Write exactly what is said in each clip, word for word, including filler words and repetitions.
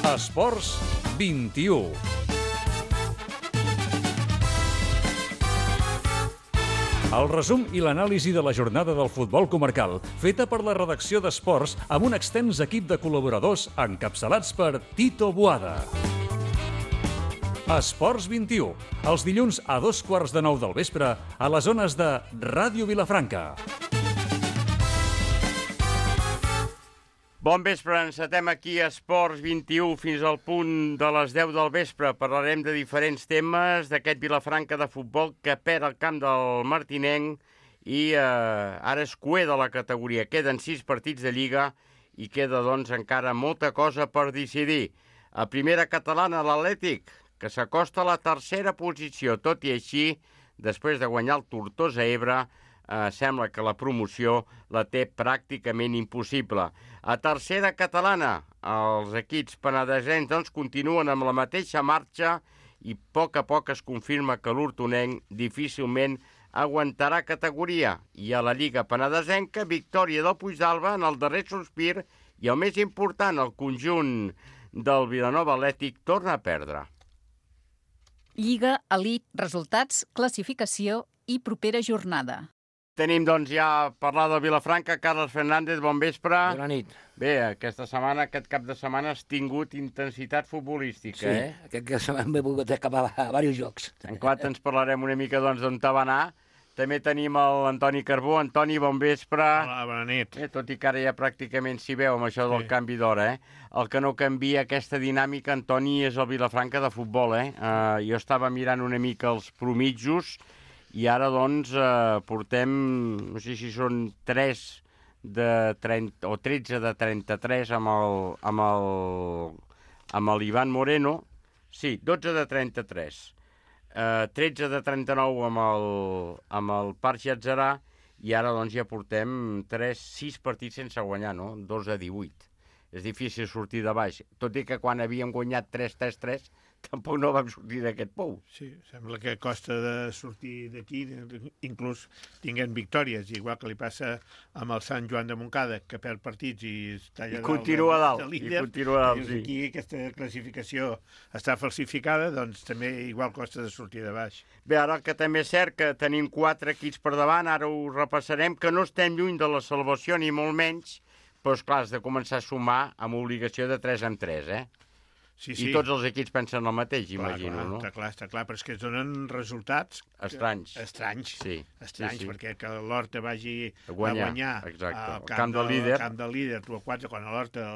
Esports vint-i-u. El resum i l'anàlisi de la jornada del futbol comarcal, feta per la redacció d'Esports amb un extens equip de col·laboradors encapçalats per Tito Boada. Esports vint-i-u, els dilluns a dos quarts de nou del vespre a les zones de Ràdio Vilafranca. Bon vespre, encetem aquí a Esports vint-i-u fins al punt de les deu del vespre. Parlarem de diferents temes d'aquest Vilafranca de futbol que perd el camp del Martinenc i eh, ara és cuer de la categoria. Queden sis partits de Lliga i queda doncs encara molta cosa per decidir. A primera catalana l'Atlètic, que s'acosta a la tercera posició. Tot i així, després de guanyar el Tortosa Ebre, eh, sembla que la promoció la té pràcticament impossible. A tercera catalana, els equips penedesencs doncs, continuen amb la mateixa marxa i a poc a poc es confirma que l'Hortonenc difícilment aguantarà categoria. I a la Lliga penedesenca, victòria del Puigdàlber en el darrer sospir i el més important, el conjunt del Vilanova Atlètic torna a perdre. Lliga, elit, resultats, classificació i propera jornada. Tenim, doncs, ja a parlar del Vilafranca. Carles Fernández, bon vespre. Bona nit. Bé, aquesta setmana, aquest cap de setmana has tingut intensitat futbolística, sí, eh? Sí, aquest cap de setmana m'he volgut acabar a diversos jocs. En clar, ens parlarem una mica, doncs, d'on te va anar. També tenim l'Antoni Carbó. Antoni, bon vespre. Hola, bona nit. Eh, tot i que ara ja pràcticament s'hi veu amb això del sí. canvi d'hora, eh? El que no canvia aquesta dinàmica, Antoni, és el Vilafranca de futbol, eh? Uh, jo estava mirant una mica els promitjos i ara, doncs, eh, portem, no sé si són tres de trenta o tretze de trenta-tres amb el, amb el, amb l'Ivan Moreno. Sí, dotze de trenta-tres. Eh, tretze de trenta-nou amb el, amb el Parc Llatzerà i ara, doncs, ja portem tres, sis partits sense guanyar, no? dos a divuit. És difícil sortir de baix. Tot i que quan havíem guanyat tres tres tres, tampoc no vam sortir d'aquest pou. Sí, sembla que costa de sortir d'aquí, inclús tinguent victòries, igual que li passa amb el Sant Joan de Montcada, que perd partits i està allà I continua de, dalt, de líder. i continua dalt, sí. Aquí aquesta classificació està falsificada, doncs també igual costa de sortir de baix. Bé, ara que també és cert que tenim quatre equips per davant, ara ho repassarem, que no estem lluny de la salvació, ni molt menys, però, esclar, has de començar a sumar amb obligació de tres en tres, eh? Sí, sí. I tots els equips pensen el mateix, clar, imagino, clar, no? Està clar, està clar, però és que es donen resultats... Estranys. Que, estranys, sí, estranys, sí, sí. perquè que l'Horta vagi a guanyar, a guanyar exacte. al el camp, camp del líder, el camp del líder, tu a quatre, quan l'Horta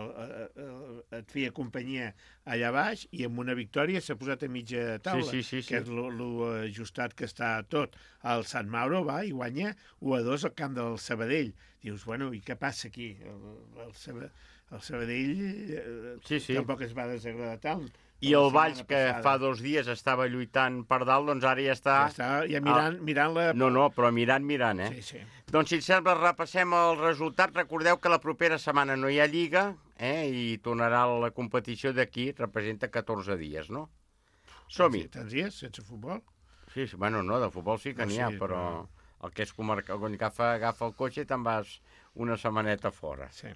et feia companyia allà baix, i amb una victòria s'ha posat a mitja taula, sí, sí, sí, que sí. és l'ajustat que està tot. El Sant Mauro va i guanya u a dos al camp del Sabadell. Dius, bueno, i què passa aquí? El, el, Sabadell, el Sabadell eh, sí, sí. tampoc es va desagradar tant. I el Valls, que passada. fa dos dies estava lluitant per dalt, doncs ara ja està... Ja està, ja mirant, ah, mirant la... No, no, però mirant, mirant, eh? Sí, sí. Doncs, si et sembla, repassem el resultat. Recordeu que la propera setmana no hi ha Lliga, eh? I tornarà la competició d'aquí, representa catorze dies, no? Som-hi. Tants dies, sense futbol? Sí, sí, bueno, no, de futbol sí que no, n'hi ha, sí, però no. El que és comarcal, quan agafa, agafa el cotxe te'n vas una setmaneta fora. Sí.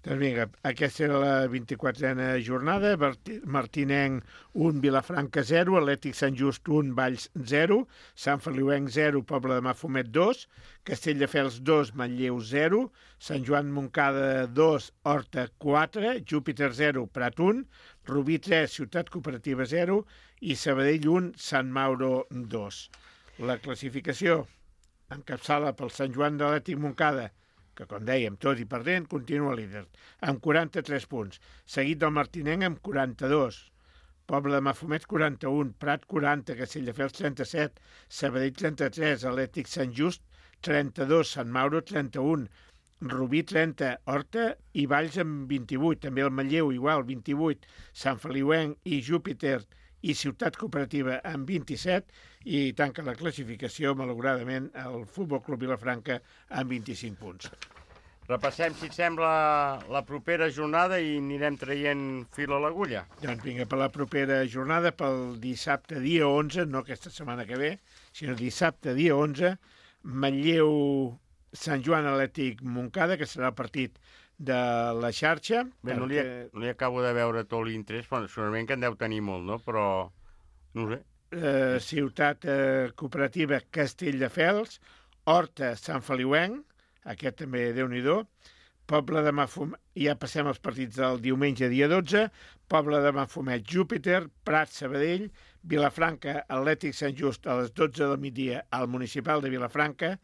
Doncs vinga, aquesta era la vint-i-quatrena jornada. Martinenc un, Vilafranca zero, Atlètic Sant Just un, Valls zero, Sant Feliuenc zero, Pobla de Mafumet dos, Castelldefels dos, Manlleu zero, Sant Joan Montcada dos, Horta quatre, Júpiter zero, Prat un, Rubí tres, Ciutat Cooperativa zero i Sabadell un, Sant Mauro dos. La classificació encapçala pel Sant Joan de l'Atlètic Montcada, que, com dèiem, tot i perdent, continua líder, amb quaranta-tres punts, seguit del Martinenc amb quaranta-dos, Pobla de Mafumet quaranta-un, Prat quaranta, Castelldefels trenta-set, Sabadell trenta-tres, Atlètic Sant Just trenta-dos, Sant Mauro trenta-un, Rubí trenta, Horta i Valls amb vint-i-vuit, també el Manlleu igual, vint-i-vuit, Sant Feliuenc i Júpiter i Ciutat Cooperativa amb vint-i-set i tanca la classificació, malauradament, el Futbol Club Vilafranca amb vint-i-cinc punts. Repassem, si et sembla, la propera jornada i anirem traient fil a l'agulla. Doncs vinga, per la propera jornada, pel dissabte dia onze, no aquesta setmana que ve, sinó dissabte dia onze, Manlleu Sant Joan Atlètic Montcada, que serà el partit de la xarxa. Bé, no li, perquè... no li acabo de veure tot l'interès, però segurament que en deu tenir molt, no? Però, no ho sé. Eh, ciutat eh, cooperativa Castelldefels, Horta Sant Feliuenc, aquest també Déu-n'hi-do, Poble de Mafumet, ja passem als partits del diumenge dia dotze, Poble de Mafumet Júpiter, Prat Sabadell, Vilafranca Atlètic Sant Just a les dotze del migdia al Municipal de Vilafranca,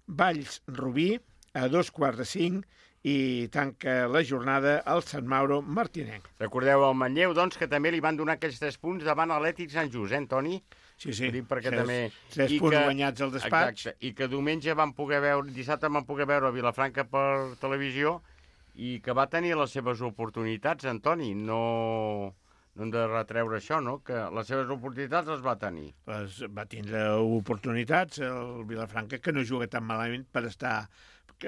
Valls Rubí a dos quarts de cinc i tanca la jornada al Sant Mauro Martinenc. Recordeu el Manlleu, doncs, que també li van donar aquells tres punts davant Atlètic Sant Just, eh, Toni? Sí, sí, Dic perquè tres, també... tres I punts que, guanyats al despatx. Exacte, i que diumenge vam poder veure, dissabte vam poder veure a Vilafranca per televisió i que va tenir les seves oportunitats, Antoni. No, no hem de retreure això, no? Que les seves oportunitats les va tenir. Les, va tindre oportunitats el Vilafranca, que no juga tan malament per estar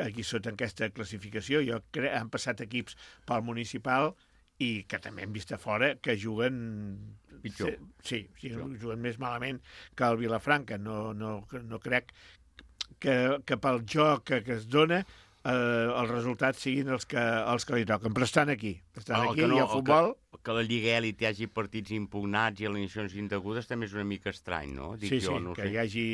aquí sota aquesta classificació. Jo crec han passat equips pel municipal i que també hem vist a fora que juguen... Pitjor. Sí, sí, juguen més malament que el Vilafranca. No, no, no crec que, que pel joc que, que es dona eh, els resultats siguin els que, els que li toquen. Però estan aquí. Estan El aquí que no, i el futbol... Que, que la Lliga Elit hi hagi partits impugnats i alineacions indegudes també és una mica estrany, no? Dic sí, jo, sí, no que sé. hi hagi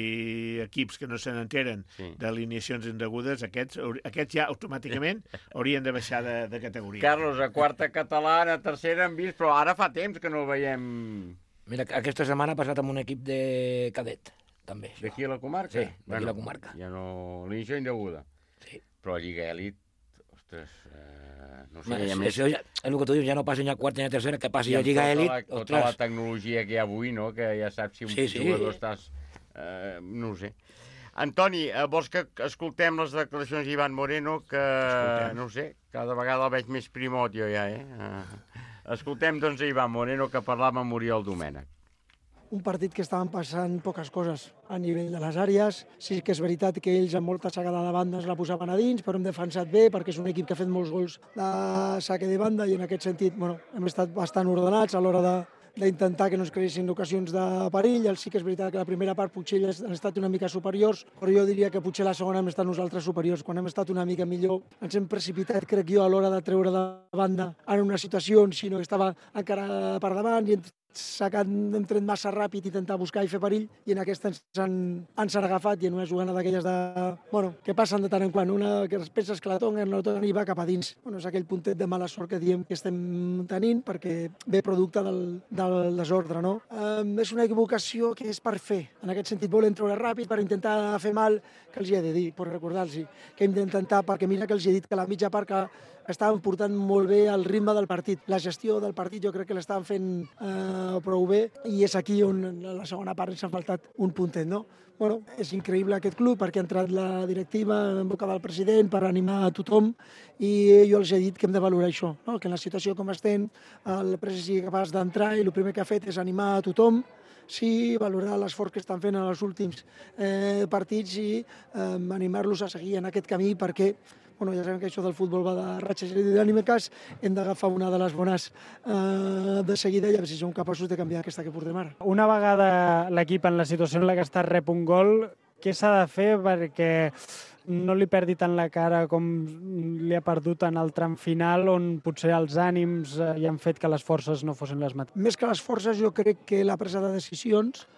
equips que no se n'enteren Sí. d'alineacions indegudes, aquests, aquests ja automàticament haurien de baixar de, de categoria. Carlos, a quarta catalana, a tercera hem vist, però ara fa temps que no el veiem Mira, aquesta setmana ha passat amb un equip de cadet, també. això. d'aquí a la comarca. Sí, d'aquí a la comarca. Ja no... L'inició indeguda. Sí. Però a Lliga Elit, ostres, eh, no sé, Bueno, hi ha això, més... això ja, és el que tu dius, ja no passa ni a quarta ni a tercera, que passi I a amb Lliga tota Elit, la, tota ostres. la tecnologia que hi ha avui, no?, que ja saps si un Sí, sí. jugador estàs... Eh, no ho sé. Antoni, eh, vols que escoltem les declaracions d'Ivan Moreno, que, Escoltem. no ho sé, cada vegada el veig més primot jo ja, eh? eh escoltem, doncs, a Ivan Moreno, que parlava amb Oriol Domènech. Un partit que estaven passant poques coses a nivell de les àrees. Sí que és veritat que ells amb molta sagada de bandes la posaven a dins, però hem defensat bé perquè és un equip que ha fet molts gols de saque de banda i en aquest sentit bueno, hem estat bastant ordenats a l'hora de d'intentar que no es creessin ocasions de perill. Sí que és veritat que la primera part potser ells han estat una mica superiors, però jo diria que potser la segona hem estat nosaltres superiors. Quan hem estat una mica millor ens hem precipitat, crec jo, a l'hora de treure de banda en una situació on si no estava encara per davant i hem sacat, hem tret massa ràpid, intentar buscar i fer perill, i en aquesta ens han, ens han agafat, i en una jugada d'aquelles de... Bueno, que passen de tant en quant, una que es penses que la tonguen, no la tonguen i va cap a dins. Bueno, és aquell puntet de mala sort que diem que estem tenint, perquè ve producte del, del desordre, no? Um, és una equivocació que és per fer. En aquest sentit, volen treure ràpid per intentar fer mal, que els hi he de dir, per recordar-los que hem d'intentar, perquè mira que els hi he dit que la mitja part que estaven portant molt bé el ritme del partit. La gestió del partit jo crec que l'estaven fent eh, prou bé, i és aquí on en la segona part ens ha faltat un puntet, no? Bueno, és increïble aquest club perquè ha entrat la directiva en boca del president per animar a tothom, i jo els he dit que hem de valorar això, no? Que en la situació com estem el president sigui capaç d'entrar i el primer que ha fet és animar a tothom, sí, valorar l'esforç que estan fent en els últims eh, partits i eh, animar-los a seguir en aquest camí, perquè bueno, ja sabem que això del futbol va de ratxes dinàmiques, hem d'agafar una de les bones eh, de seguida i a veure si som capaços de canviar aquesta que portem ara. Una vegada l'equip en la situació en la que està rep un gol, què s'ha de fer perquè no li perdi tant la cara com li ha perdut en el tram final, on potser els ànims eh, hi han fet que les forces no fossin les mateixes? Més que les forces, jo crec que la presa de decisions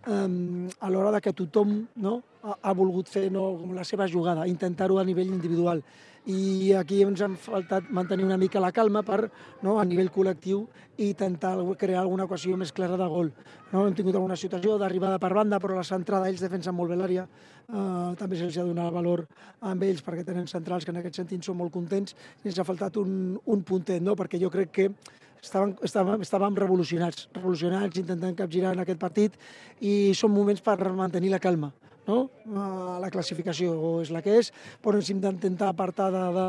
Um, a l'hora de que tothom no, ha, ha volgut fer no, com la seva jugada, intentar-ho a nivell individual. I aquí ens han faltat mantenir una mica la calma per, no, a nivell col·lectiu, i intentar crear alguna ocasió més clara de gol. No, hem tingut alguna situació d'arribada per banda, però la centrada ells defensen molt bé l'àrea. Uh, també se'ls ha donat valor amb ells perquè tenen centrals que en aquest sentit són molt contents, i ens ha faltat un, un puntet, no? Perquè jo crec que Estàvem, estàvem, estàvem revolucionats, revolucionats, intentant capgirar en aquest partit, i són moments per mantenir la calma. No? La classificació és la que és, però ens hem d'intentar apartar de, de,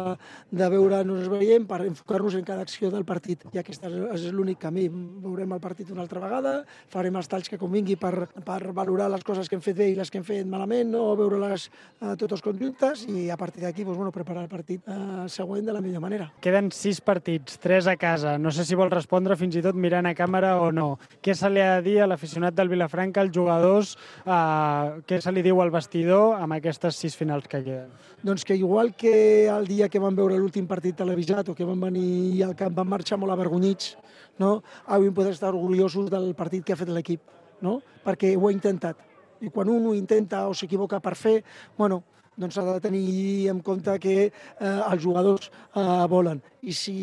de veure on ens veiem per enfocar-nos en cada acció del partit, i aquest és l'únic camí. Veurem el partit una altra vegada, farem els talls que convingui per, per valorar les coses que hem fet bé i les que hem fet malament, no? Veure-les eh, totes conjuntes, i a partir d'aquí doncs, bueno, preparar el partit eh, següent de la millor manera. Queden sis partits, tres a casa. No sé si vol respondre fins i tot mirant a càmera o no. Què se li ha de dir a l'aficionat del Vilafranca, als jugadors, eh, què se li diu al vestidor amb aquestes sis finals que queden? Doncs que igual que el dia que vam veure l'últim partit televisat o que vam venir al camp, vam marxar molt avergonyits, no? Avui podem estar orgullosos del partit que ha fet l'equip, no? Perquè ho ha intentat. I quan un ho intenta o s'equivoca per fer, bueno, doncs s'ha de tenir en compte que eh, els jugadors eh, volen. I si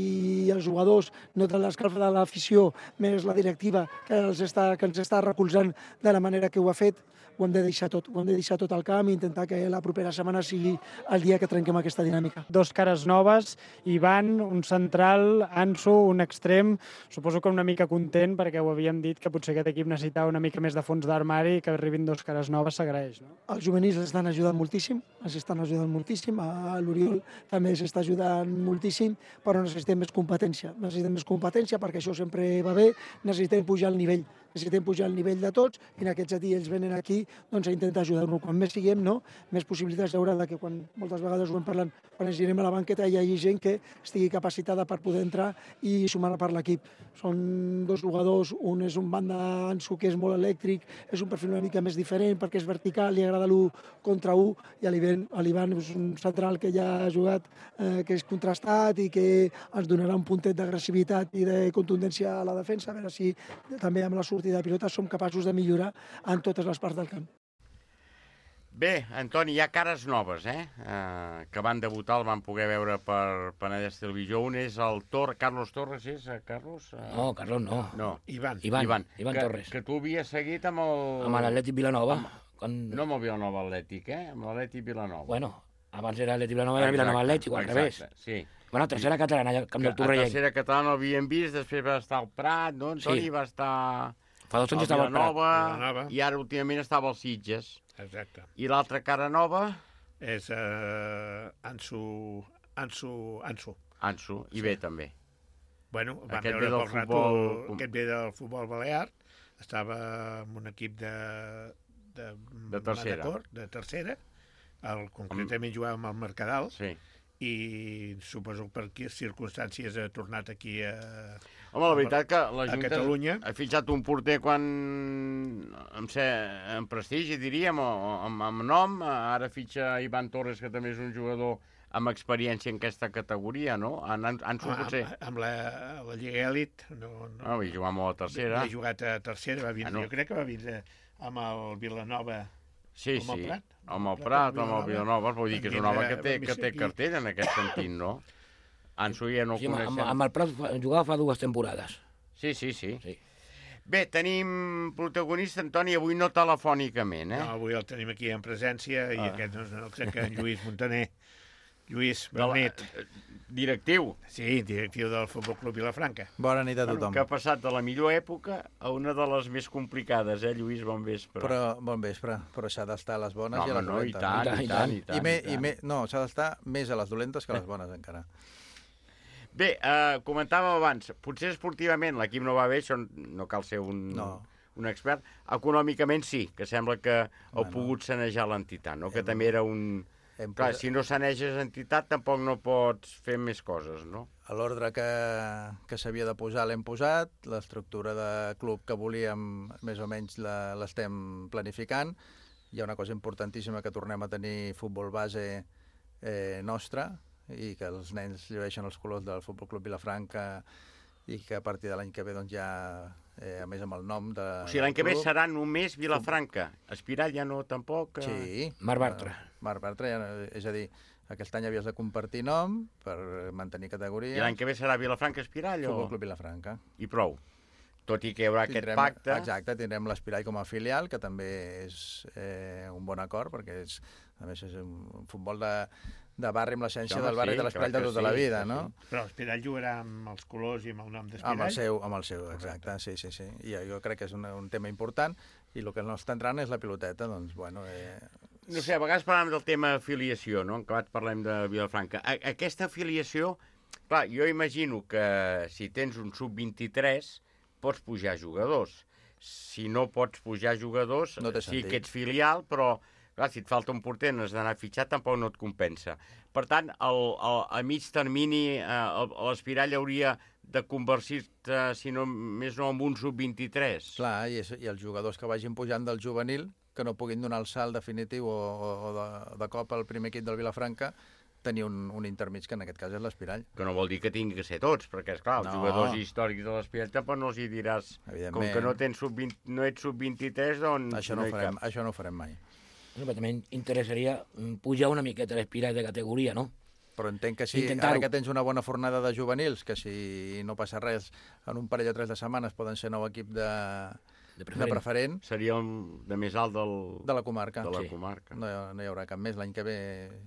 els jugadors noten l'escalfa de l'afició, més la directiva que, els està, que ens està recolzant de la manera que ho ha fet, ho hem de deixar tot, ho hem de deixar tot al camp i intentar que la propera setmana sigui el dia que trenquem aquesta dinàmica. Dos cares noves, Ivan, un central, Ansu, un extrem, suposo que una mica content perquè ho havíem dit que potser aquest equip necessitava una mica més de fons d'armari i que arribin dos cares noves s'agraeix, no? Els juvenils estan ajudant moltíssim, els estan ajudant moltíssim, a l'Oriol també s'està ajudant moltíssim, però necessitem més competència, necessitem més competència perquè això sempre va bé, necessitem pujar el nivell, necessitem pujar el nivell de tots i en aquest sentit ells venen aquí doncs, a intentar ajudar-nos. Quan més siguem, no? Més possibilitats hi haurà que quan moltes vegades ho hem parlant, quan ens girem a la banqueta hi hagi gent que estigui capacitada per poder entrar i sumar per l'equip. Són dos jugadors, un és un banda Ansu que és molt elèctric, és un perfil una mica més diferent perquè és vertical, li agrada l'u contra u, i l'Ivan és un central que ja ha jugat, eh, que és contrastat i que ens donarà un puntet d'agressivitat i de contundència a la defensa, a veure si també amb la sortida de pilota som capaços de millorar en totes les parts del camp. Bé, Antoni, hi ha cares noves, eh? eh que van debutar, el van poder veure per Penedès Televisió. Un és el Tor... Carlos Torres, és, eh, Carlos? Eh... No, Carlos no. No. Ivan. Ivan, Ivan, Ivan que, Torres. Que tu havies seguit amb el... Amb l'Atlètic Vilanova. Amb... Quan... No amb el Vilanova Atlètic, eh? Amb l'Atlètic Vilanova. Bueno, abans era Atlètic Vilanova i era Vilanova Atlètic, o al revés. Sí. Bueno, tercera catalana, al camp del Torrellent. La tercera catalana l'havíem vist, després va estar al Prat, no? Antoni Sí. va estar... Fa dos anys estava al Prat. Vilanova, i ara últimament estava als Sitges. Exacte. I l'altra cara nova? És uh, Ansu, Ansu, Ansu. Ansu, i bé també. Bueno, vam Aquest veure ve del poc rato, futbol- aquest ve del futbol balear, estava en un equip de... De, De tercera. Manacor, de tercera, el, concretament jugava amb el Mercadal, Sí. i suposo que per aquí circumstàncies ha tornat aquí a... Home, la veritat que la a Junta Catalunya. ha fitxat un porter quan... amb, ser, amb prestigi, diríem, o, o amb, amb nom. Ara fitxa Ivan Torres, que també és un jugador amb experiència en aquesta categoria, no? En, en, en Amb, potser... amb la, la Lliga Elit, no, no, No, vull jugar molt a tercera. ha jugat a tercera, va vindre, Ah, no. jo crec que va vindre amb el Vilanova. Sí, amb el sí, Prat. amb el Prat, Prat, amb amb el Vilanova, vull dir que és un home que té, que té cartera en aquest sentit, no? Ansu ja no el Sí, amb, coneixem. amb el Prat fa- jugava fa dues temporades. Sí, sí, sí. Sí. Bé, tenim protagonista, Antoni, avui no telefònicament, eh? No, avui el tenim aquí en presència, i Ah. aquest no és un altre que en Lluís Montaner. Lluís De la- Bernet, Directiu. sí, directiu del Futbol Club Vilafranca. Bona nit a Bueno, tothom. que ha passat de la millor època a una de les més complicades, eh, Lluís? Bon vespre. Però, bon vespre, però s'ha d'estar a les bones no, i a home, les no, i dolentes. tant, i tant, i tant. I, me, i i tant. me, no, s'ha d'estar més a les dolentes que a les bones, encara. Bé, eh, comentàvem abans, potser esportivament l'equip no va bé, això no cal ser un, No. un expert. Econòmicament sí, que sembla que heu Bueno. pogut sanejar l'entitat, no? Que Hem- també era un... Hem Clar, posat- si no saneges entitat tampoc no pots fer més coses, no? A l'ordre que, que s'havia de posar l'hem posat, l'estructura de club que volíem més o menys la- l'estem planificant. Hi ha una cosa importantíssima, que tornem a tenir futbol base eh, nostre i que els nens llueixen els colors del Futbol Club Vilafranca i que a partir de l'any que ve doncs, ja, eh, a més amb el nom de... O sigui, l'any que ve del club- serà només Vilafranca. Espiral ja no, tampoc? eh? Sí. Marc Bartra. Marc Bartra, ja, no- és a dir, aquest any havies de compartir nom per mantenir I categoria. l'any que ve serà Vilafranca Espiral o... Futbol Club Vilafranca. I prou. Tot i que hi haurà Tindrem- aquest pacte... Exacte, tindrem l'Espirall com a filial, que també és eh, un bon acord, perquè és, a més és un futbol de, de barri amb l'essència Sí, home, del barri sí, de l'Espirall clar de que tota la sí, vida, sí, no? sí. Però l'Espirall jugarà amb els colors i amb el nom d'Espirall. Amb el seu, amb el seu, exacte, sí, sí, sí. I jo crec que és un, un tema important, i el que no està entrant és la piloteta, doncs, bueno... Eh... No sé, a vegades parlem del tema afiliació, no? En acabat parlem de Vilafranca. A aquesta afiliació, clar, jo imagino que si tens un sub vint-i-tres pots pujar jugadors. Si no pots pujar jugadors, No té sí sentit. que ets filial, però Clar, si et falta un porter, no has d'anar fitxat, tampoc no et compensa. Per tant, el, el, a mig termini, eh, l'Espirall hauria de convertir-se, si no més no, en un sub vint-i-tres. Clar, i, és, i els jugadors que vagin pujant del juvenil, que no puguin donar el salt definitiu o, o, o de, de cop al primer equip del Vilafranca, tenir un, un intermig, que en aquest cas és l'Espirall. Que no vol dir que tingui que ser tots, perquè, esclar, els No. jugadors històrics de l'Espirall tampoc no els hi diràs, com que no, tens sub vint, no ets sub vint-i-tres, doncs Això no, no hi farem, caps. això no ho farem mai. Bueno, però també interessaria mm, pujar una miqueta l'Espirall de categoria, no? Però entenc que si, Intentar-ho. ara que tens una bona fornada de juvenils, que si no passa res, en un parell o tres de setmanes poden ser nou equip de, De de preferent. preferent Seria el de més alt del, de la comarca. de la Sí. comarca. No, hi- no hi haurà cap més l'any que ve.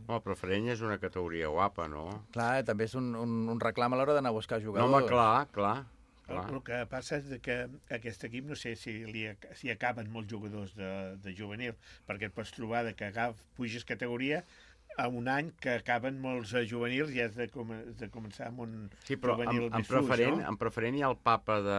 No, el preferent és una categoria guapa, no? Clar, eh, també és un, un, un reclam a l'hora d'anar a buscar No, jugadors. home, clar, clar. El, clar. el que passa és que aquest equip, no sé si, li, ac- si acaben molts jugadors de, de juvenil, perquè et pots trobar de que agaf, puges categoria a un any que acaben molts eh, juvenils i has de, com, has de començar amb un Sí, però juvenil en, en, més fluix, preferent, no? en preferent hi ha el papa de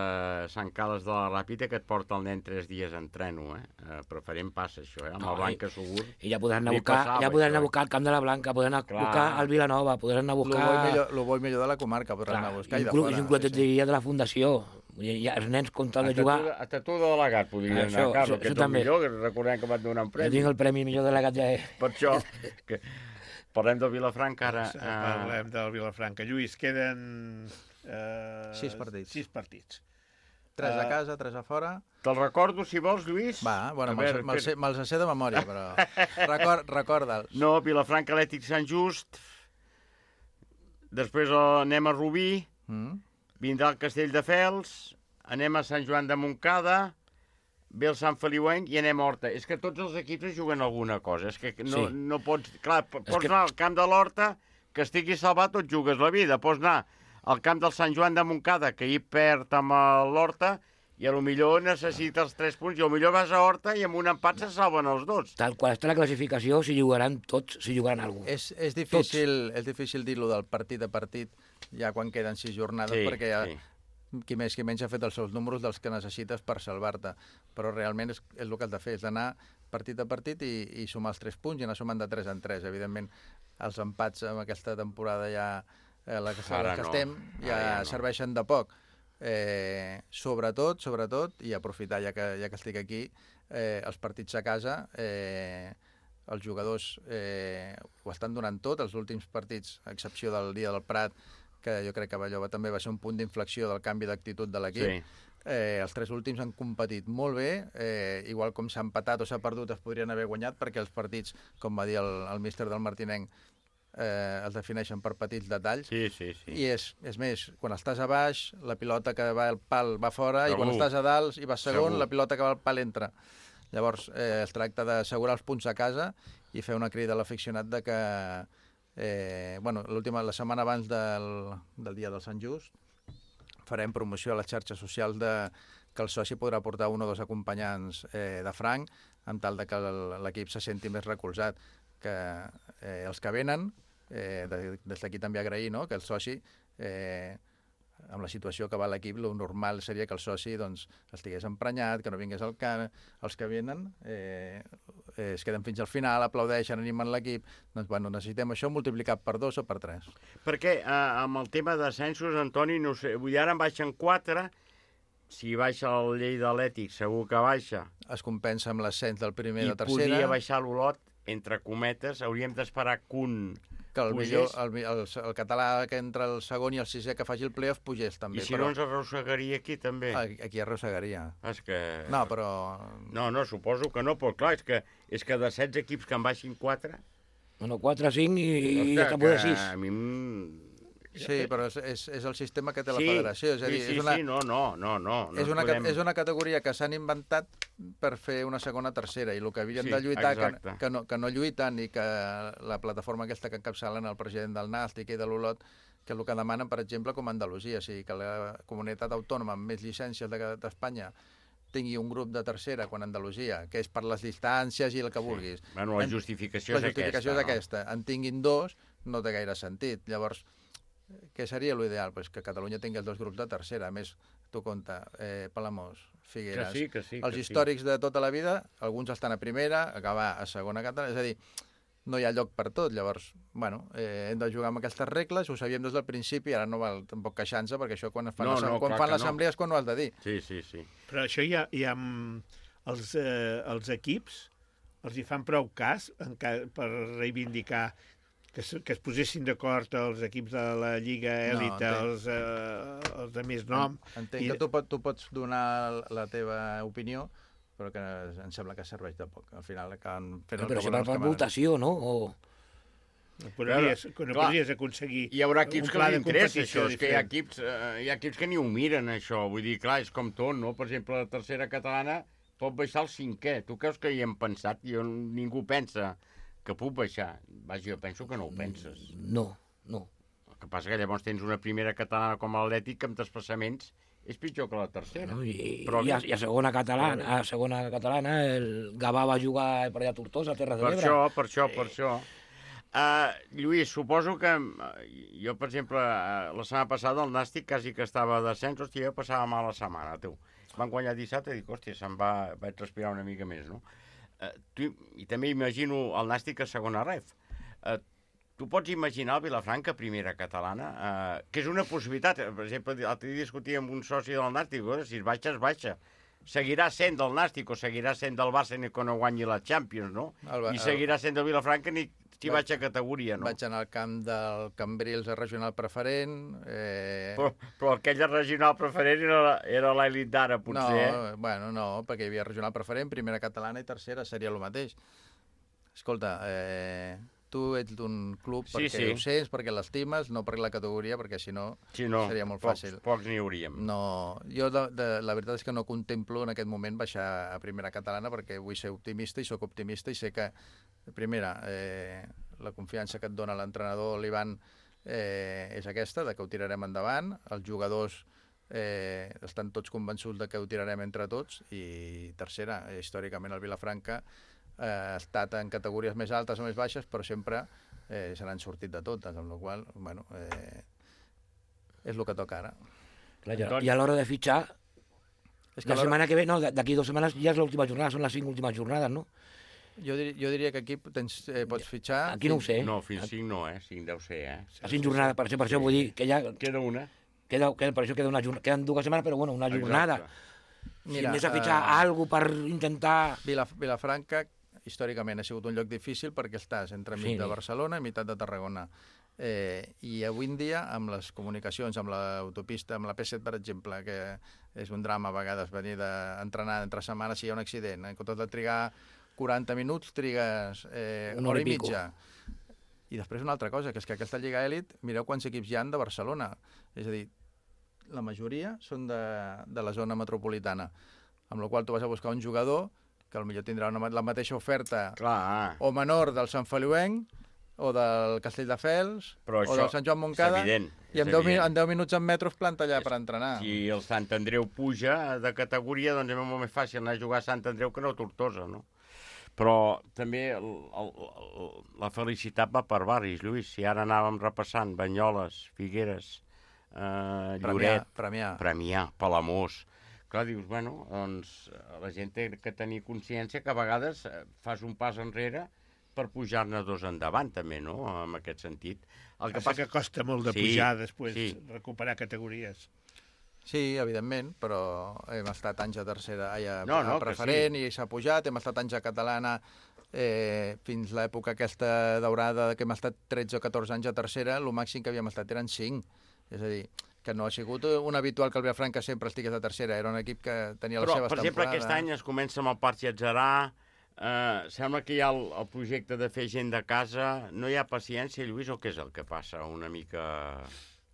Sant Carles de la Ràpita que et porta el nen tres dies en treno, eh? Eh, preferent passa això, eh? Amb No, el Blanca segur. I ja podran anar a Li buscar, passava ja podran això, anar a eh? buscar el Camp de la Blanca, podran anar a Clar. buscar el Vilanova, podran anar a Lo buscar... bo i millor, lo bo i millor de la comarca, podran anar a buscar i de inclús, fora. inclús sí, et sí. diria de la Fundació. Vull dir, ja, els nens, com tal A de jugar... tu, a tu de delegat podria Això, anar, Carlos, això- que això ets el també. millor, que recordem que van donar un Jo premi. tinc el premi millor delegat ja... Per això, que parlem del Vilafranca ara. Doncs, eh, eh, Parlem del Vilafranca. Lluís, queden... Eh, Sis partits. Sis partits. Tres a Eh, casa, tres a fora. Te'l recordo, si vols, Lluís? Va, bueno, A me'ls veure, me'ls sé, espera. me'ls sé de memòria, però record, recorda'ls. No, Vilafranca, Atlètic Sant Just. Després eh, anem a Rubí. Mm? Vindrà el Castelldefels. Anem a Sant Joan de Montcada. Ve el Sant Feliuenc i anem a Horta. És que tots els equips es juguen alguna cosa. És que no, Sí. no pots... Clar, p- pots que- anar al camp de l'Horta, que estigui salvat, tot jugues la vida. Pots anar al camp del Sant Joan de Montcada, que hi perd amb l'Horta, i a lo millor necessita els tres punts, i a lo millor vas a Horta i amb un empat se salven els dos. Tal qual està la classificació, s'hi jugaran tots, s'hi jugaran alguna cosa. És, és, difícil, és difícil dir-lo del partit a partit, ja quan queden sis jornades, perquè ja, sí. qui més qui menys ha fet els seus números dels que necessites per salvar-te. Però realment és, és el que has de fer, és d'anar partit a partit i, i sumar els tres punts i anar sumant de tres en tres. Evidentment, els empats en aquesta temporada ja, eh, la que, Ara que no. estem, ja, Ara ja no. serveixen de poc. Eh, sobretot, sobretot, i aprofitar ja que, ja que estic aquí, eh, els partits a casa, eh, els jugadors eh, ho estan donant tot, els últims partits, a excepció del dia del Prat, que jo crec que allò va, també va ser un punt d'inflexió del canvi d'actitud de l'equip. Sí. Eh, els tres últims han competit molt bé, eh, igual com s'ha empatat o s'ha perdut es podrien haver guanyat, perquè els partits, com va dir el, el míster del Martinenc, eh, es defineixen per petits detalls. Sí, sí, sí. I és, és més, quan estàs a baix, la pilota que va al pal va fora, Segur. i quan estàs a dalt i vas segon, Segur. la pilota que va al pal entra. Llavors, eh, es tracta d'assegurar els punts a casa i fer una crida a l'aficionat de que, eh, bueno, l'última, la setmana abans del, del dia del Sant Just, farem promoció a les xarxes socials de que el soci podrà portar un o dos acompanyants eh, de franc, amb tal de que el- l'equip se senti més recolzat. Que eh, els que venen, eh, de- des d'aquí també agrair, no?, que el soci, eh, amb la situació que va l'equip, el normal seria que el soci doncs, estigués emprenyat, que no vingués al camp. Els que venen eh, eh, es queden fins al final, aplaudeixen, animen l'equip. Doncs, bueno, necessitem això multiplicat per dos o per tres. Perquè eh, amb el tema d'ascensos, Antoni, no sé, vull dir, ara en baixen quatre, si baixa el Lleida Atlètic, segur que baixa, Es compensa amb l'ascens del primer i i de tercera. podria baixar l'Olot, entre cometes, hauríem d'esperar que un que el, pugés, millor, el, el, el català que entre el segon i el sisè que faci el playoff pugés també. i si però no ens arrossegaria aquí també. aquí, aquí arrossegaria. És que... No, però... No, no, suposo que no, però clar, és que, és que de setze equips que en baixin quatre... Bueno, quatre, cinc i, i hòstia, ja cap de que sis. A mi... em- Sí, però és, és, és el sistema que té la Sí, federació. És a dir, sí, sí, és una, sí, no, no, no, no. no és, una, podem... ca- és una categoria que s'han inventat per fer una segona tercera, i el que havien Sí, de lluitar, que, exacte. que, no, que no lluiten, i que la plataforma aquesta que encapçalen el president del Nàstic i de l'Olot, que és el que demanen, per exemple, com a Andalusia, o sigui, que la comunitat autònoma amb més llicències de- d'Espanya tingui un grup de tercera, quan Andalusia, que és per les distàncies i el que vulguis. Bueno, la En- justificació la és justificació aquesta, és aquesta. En tinguin dos, no té gaire sentit. Llavors, què seria l'ideal? Pues que Catalunya tingui els dos grups de tercera. A més, tu compta, eh, Palamós, Figueres, que sí, que sí, els que històrics sí. de tota la vida, alguns estan a primera, acabar a segona catalana, és a dir, no hi ha lloc per tot. Llavors, bueno, eh, hem de jugar amb aquestes regles, ho sabíem des del principi, ara no val tampoc queixar-se, perquè això quan fan, no, no, quan fan l'assemblea no. és quan ho has de dir. Sí, sí, sí. Però això hi ha, hi ha els, eh, els equips, els hi fan prou cas en ca, per reivindicar que es, que es posessin d'acord els equips de la Lliga Èlit, no, els, eh, els de més nom. Entenc I... que tu, pot, tu pots donar la teva opinió, però que em sembla que serveix de poc. Al final acaben fent el però que serà per votació, no? O... No podries, no podries aconseguir hi haurà equips que els interessa això, és que hi ha, diferent. equips, eh, hi ha equips que ni ho miren això, vull dir, clar, és com tot, no? Per exemple, la tercera catalana pot baixar al cinquè. Tu creus que hi hem pensat? Jo, ningú pensa que puc baixar. Vaja, jo penso que no ho penses. No, no. El que passa que llavors tens una primera catalana com l'Atlètic que amb desplaçaments és pitjor que la tercera. No, i, però, i, a, I a segona catalana, a segona catalana el Gavà va jugar per allà a Tortosa, a Terres de per l'Ebre. això, per això, per això. Uh, Lluís, suposo que uh, jo, per exemple, uh, la setmana passada el Nàstic quasi que estava a descens, hòstia, jo passava mal la setmana, tu. Van guanyar dissabte i dic, hòstia, se'n va, vaig respirar una mica més, no? Uh, tu, I també imagino el Nàstic a segona ref. Uh, tu pots imaginar el Vilafranca a primera catalana, uh, que és una possibilitat. Per exemple, l'altre dia discutia amb un soci del Nàstic, si es baixa, es baixa. Seguirà sent del Nàstic o seguirà sent del Barça ni quan no guanyi la Champions, no? El, I seguirà sent del Vilafranca ni si vaig a categoria, no? Vaig anar al camp del Cambrils a regional preferent. Eh... Però, però aquella regional preferent era, era l'elit d'ara, potser. No, bueno, no, perquè hi havia regional preferent, primera catalana i tercera seria el mateix. Escolta, eh, tu ets d'un club perquè sí, sí. ho sents, perquè l'estimes, no per la categoria, perquè si no, sí, no seria molt pocs, fàcil. Pocs n'hi hauríem. No, jo de, de, la veritat és que no contemplo en aquest moment baixar a primera catalana perquè vull ser optimista i sóc optimista i sé que, primera, eh, la confiança que et dona l'entrenador, l'Ivan, eh, és aquesta, de que ho tirarem endavant. Els jugadors eh, estan tots convençuts de que ho tirarem entre tots. I tercera, eh, històricament el Vilafranca eh, ha estat en categories més altes o més baixes, però sempre eh, se n'han sortit de totes, amb la qual cosa, bueno, eh, és el que toca ara. Clar, ja, I a l'hora de fitxar, és que la setmana que ve, no, d'aquí dues setmanes ja és l'última jornada, són les cinc últimes jornades, no? Jo, dir, jo diria que aquí tens, eh, pots fitxar... Aquí no ho sé. No, fins cinc no, eh? cinc deu ser, eh? A cinc jornades, per això, per això vull dir que ja... Queda una. Queda, queda, per això queda una jornada. Queden dues setmanes, però bueno, una jornada. Exacte. Si anés a fitxar uh, alguna per intentar... Vilaf Vilafranca, històricament, ha sigut un lloc difícil perquè estàs entre mig sí. de Barcelona i meitat de Tarragona. Eh, I avui en dia, amb les comunicacions, amb l'autopista, amb la P set, per exemple, que és un drama a vegades venir d'entrenar entre setmanes si hi ha un accident, en comptes de trigar quaranta minuts, trigues eh, una hora i mitja. I després una altra cosa, que és que aquesta Lliga Èlit, mireu quants equips hi ha de Barcelona. És a dir, la majoria són de, de la zona metropolitana, amb la qual tu vas a buscar un jugador que potser tindrà una, la mateixa oferta Clar. o menor del Sant Feliuenc, o del Castelldefels, però o del Sant Joan Montcada, evident, i en deu, en deu minuts en metros planta allà és, per entrenar. Si el Sant Andreu puja de categoria, doncs és molt més fàcil anar a jugar a Sant Andreu que no a Tortosa, no? Però també el, el, el, la felicitat va per barris, Lluís. Si ara anàvem repassant Banyoles, Figueres, eh, Lloret, Premià, Premià, Palamós. Clar, dius, bueno, doncs la gent té que tenir consciència que a vegades fas un pas enrere per pujar-ne dos endavant, també, no?, en aquest sentit. El que passa que costa molt de sí, pujar després, sí. recuperar categories. Sí, evidentment, però hem estat anys a tercera, ai, a, no, no, a preferent sí. i s'ha pujat, hem estat anys a catalana eh, fins l'època aquesta daurada que hem estat tretze o catorze anys a tercera, el màxim que havíem estat eren cinc. És a dir, que no ha sigut un habitual que el Vilafranca sempre estigués a tercera, era un equip que tenia però, les seves per exemple, temporades. aquest any es comença amb el Parc Llatzerà, eh, sembla que hi ha el, el projecte de fer gent de casa, no hi ha paciència, Lluís, o què és el que passa una mica...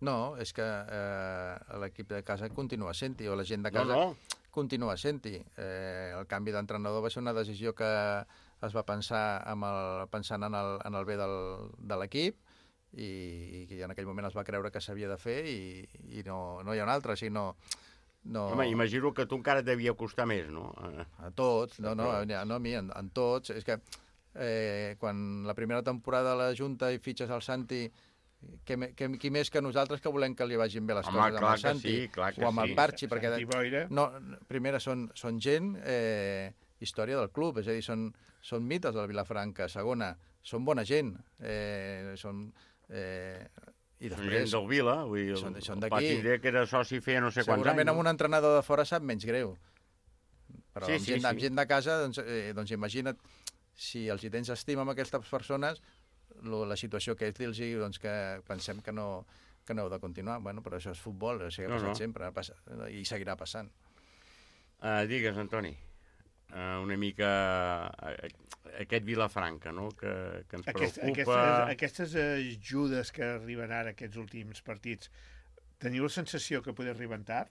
No, és que eh, l'equip de casa continua sent-hi, o la gent de casa no, no. continua sent-hi. Eh, el canvi d'entrenador va ser una decisió que es va pensar amb el, pensant en el, en el bé del, de l'equip i, i en aquell moment es va creure que s'havia de fer i, i no, no hi ha un altre, o sigui, no... No... Home, imagino que a tu encara et devia costar més, no? A tots, no, no, no, no a mi, en, en tots. És que eh, quan la primera temporada a la Junta hi fitxes el Santi que, que, qui més que nosaltres que volem que li vagin bé les Home, coses clar amb el que Santi sí, clar que o amb sí. el Parchi, perquè Santi Boira. no, primera són, són gent, eh, història del club, és a dir, són, són mites del Vilafranca. Segona, són bona gent, eh, són... Eh, i Són després, gent del Vila, vull dir, són- el, són el d'aquí. Pat Indré, que era soci feia no sé quants anys. segurament amb un entrenador de fora sap menys greu. Però Sí, amb, sí, gent, sí. amb gent de casa, doncs, eh, doncs imagina't, si els hi tens estima amb aquestes persones, lo, la situació que és dir-los doncs, que pensem que no, que no heu de continuar. Bueno, però això és futbol, això ha No, passat no. sempre ha passat, i seguirà passant. Uh, digues, Antoni, uh, una mica uh, aquest Vilafranca, no?, que, que ens Aquest, preocupa... aquestes, aquestes ajudes que arriben ara, aquests últims partits, teniu la sensació que poder arribar tard?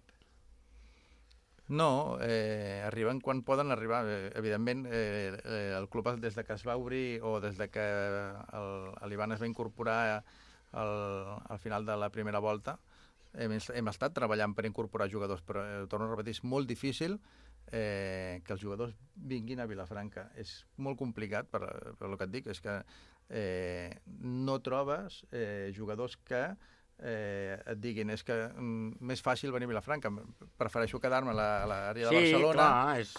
No, eh, arriben quan poden arribar. Eh, evidentment, eh, eh, el club des de que es va obrir o des de que l'Ivan es va incorporar al, al final de la primera volta, hem, hem estat treballant per incorporar jugadors, però eh, torno a repetir, és molt difícil eh, que els jugadors vinguin a Vilafranca. És molt complicat, per, per el que et dic, és que eh, no trobes eh, jugadors que eh, et diguin és que mm, més fàcil venir a Vilafranca, prefereixo quedar-me a la- a l'àrea de Sí, Barcelona. clar, és...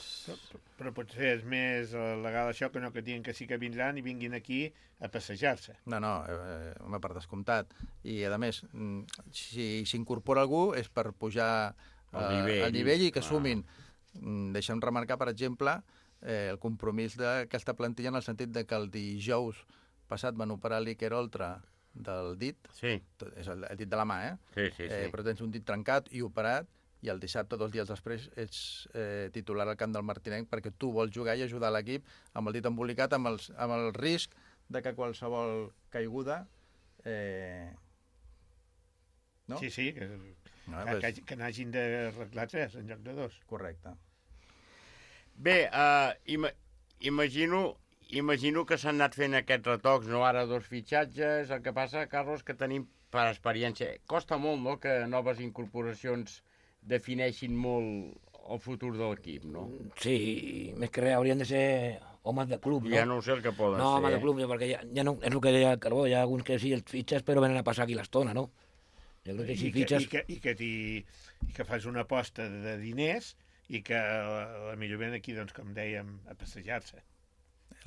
Però potser és més eh, legal això que no que diguin que sí que vindran i vinguin aquí a passejar-se. No, no, eh, home, per descomptat. I, a més, mm, si s'incorpora algú és per pujar El eh, nivell. el nivell i que Ah. sumin. Mm, Deixa'm remarcar, per exemple, eh, el compromís d'aquesta plantilla en el sentit de que el dijous passat van operar l'Iker Oltra del dit, Sí, tot- és el, el dit de la mà, eh? sí, sí. sí. Eh, però tens un dit trencat i operat, i el dissabte, dos dies després, ets eh, titular al camp del Martinenc perquè tu vols jugar i ajudar l'equip amb el dit embolicat, amb, els, amb el risc de que qualsevol caiguda... Eh... No? Sí, sí, que, No, que, pues, que, que n'hagin d'arreglar tres en lloc de dos. correcte. Bé, uh, ima imagino, imagino que s'han anat fent aquests retocs, no ara dos fitxatges, el que passa, Carlos, que tenim per experiència. Costa molt, no?, que noves incorporacions defineixin molt el futur de l'equip, no? Sí, i més que res haurien de ser homes de club, no? Ja no ho sé el que poden No, ser. home de club, perquè ja, ja no, és el que deia Carbó, hi ha alguns que sí els fitxes però venen a passar aquí l'estona, no? Jo crec que si I, que, fitxes... i, que, i, que t'hi, I que fas una aposta de, de diners i que la, la millor ven aquí, doncs, com dèiem, a passejar-se.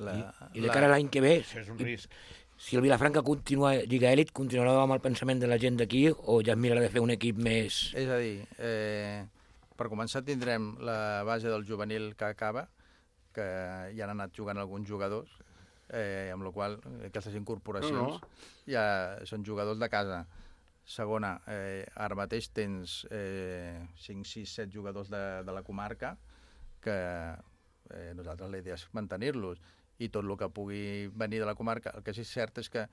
La, I de cara a l'any que ve, Això és un i- risc. si el Vilafranca continua Lliga Elit, continuarà amb el pensament de la gent d'aquí o ja es mirarà de fer un equip més... És a dir, eh, per començar tindrem la base del juvenil que acaba, que ja han anat jugant alguns jugadors, eh, amb la qual aquestes incorporacions No, no. ja són jugadors de casa. Segona, eh, ara mateix tens eh, cinc, sis, set jugadors de, de la comarca que eh, nosaltres la idea és mantenir-los i tot el que pugui venir de la comarca. El que sí que és cert és que